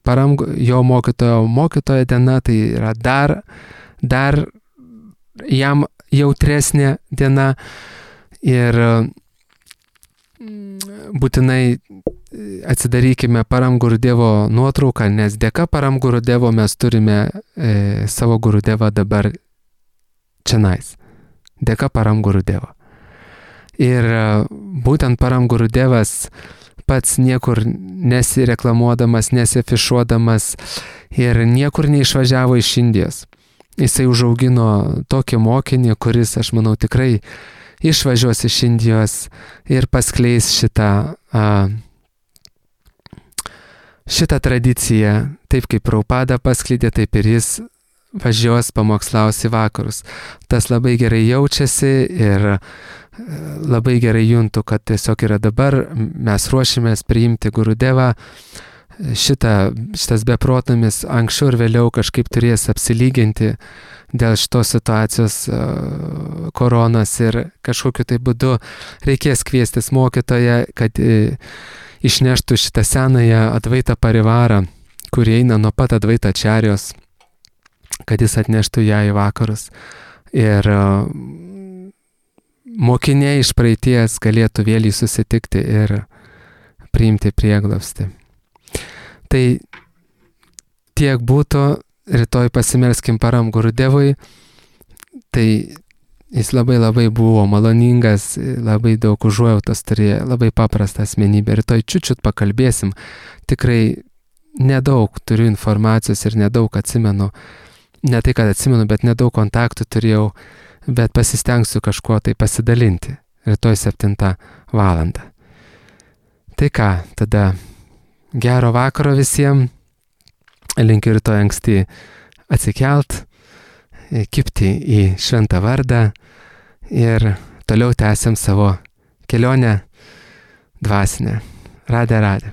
jo mokytojo diena, tai yra dar jam jautresnė diena ir būtinai atsidarykime Param Gurudevo nuotrauką, nes dėka Param Gurudevo mes turime savo Gurudevą dabar čionais. Dėka Param Gurudevo. Ir būtent Param Gurudevas pats niekur nesireklamuodamas, nesiafišuodamas ir niekur neišvažiavo iš Indijos. Jisai užaugino tokį mokinį, kuris, aš manau, tikrai išvažiuos iš Indijos ir paskleis šitą tradiciją, taip kaip Prabhupada paskleidė, taip ir jis važiuos pamokslaus į vakarus. Tas labai gerai jaučiasi ir labai gerai juntu, kad tiesiog yra dabar, mes ruošimės priimti Gurudevą. Šitas beprotnamis anksčiau ir vėliau kažkaip turės apsilyginti dėl šitos situacijos koronos ir kažkokiu tai būdu reikės kviestis mokytoją, kad išneštų šitą senąją Advaita Parivarą, kuri eina nuo pat Advaita Ačarijos, kad jis atneštų ją į vakarus. Ir mokiniai iš praeities galėtų vėl jį susitikti ir priimti prieglobstį. Tai tiek būtų, rytoj pasimelskim Param Gurudevui, tai jis labai buvo maloningas, labai daug užuojautos turėjo, labai paprastą asmenybę. Rytoj čiut pakalbėsim, tikrai nedaug turiu informacijos ir nedaug atsimenu, ne tai, kad atsimenu, bet nedaug kontaktų turėjau, bet pasistengsiu kažkuo tai pasidalinti. Rytoj 7 valandą. Tai ką, tada gero vakaro visiems, linkiu rytoj anksti atsikelt, kibti į šventą vardą ir toliau tęsiam savo kelionę dvasinę. Radė.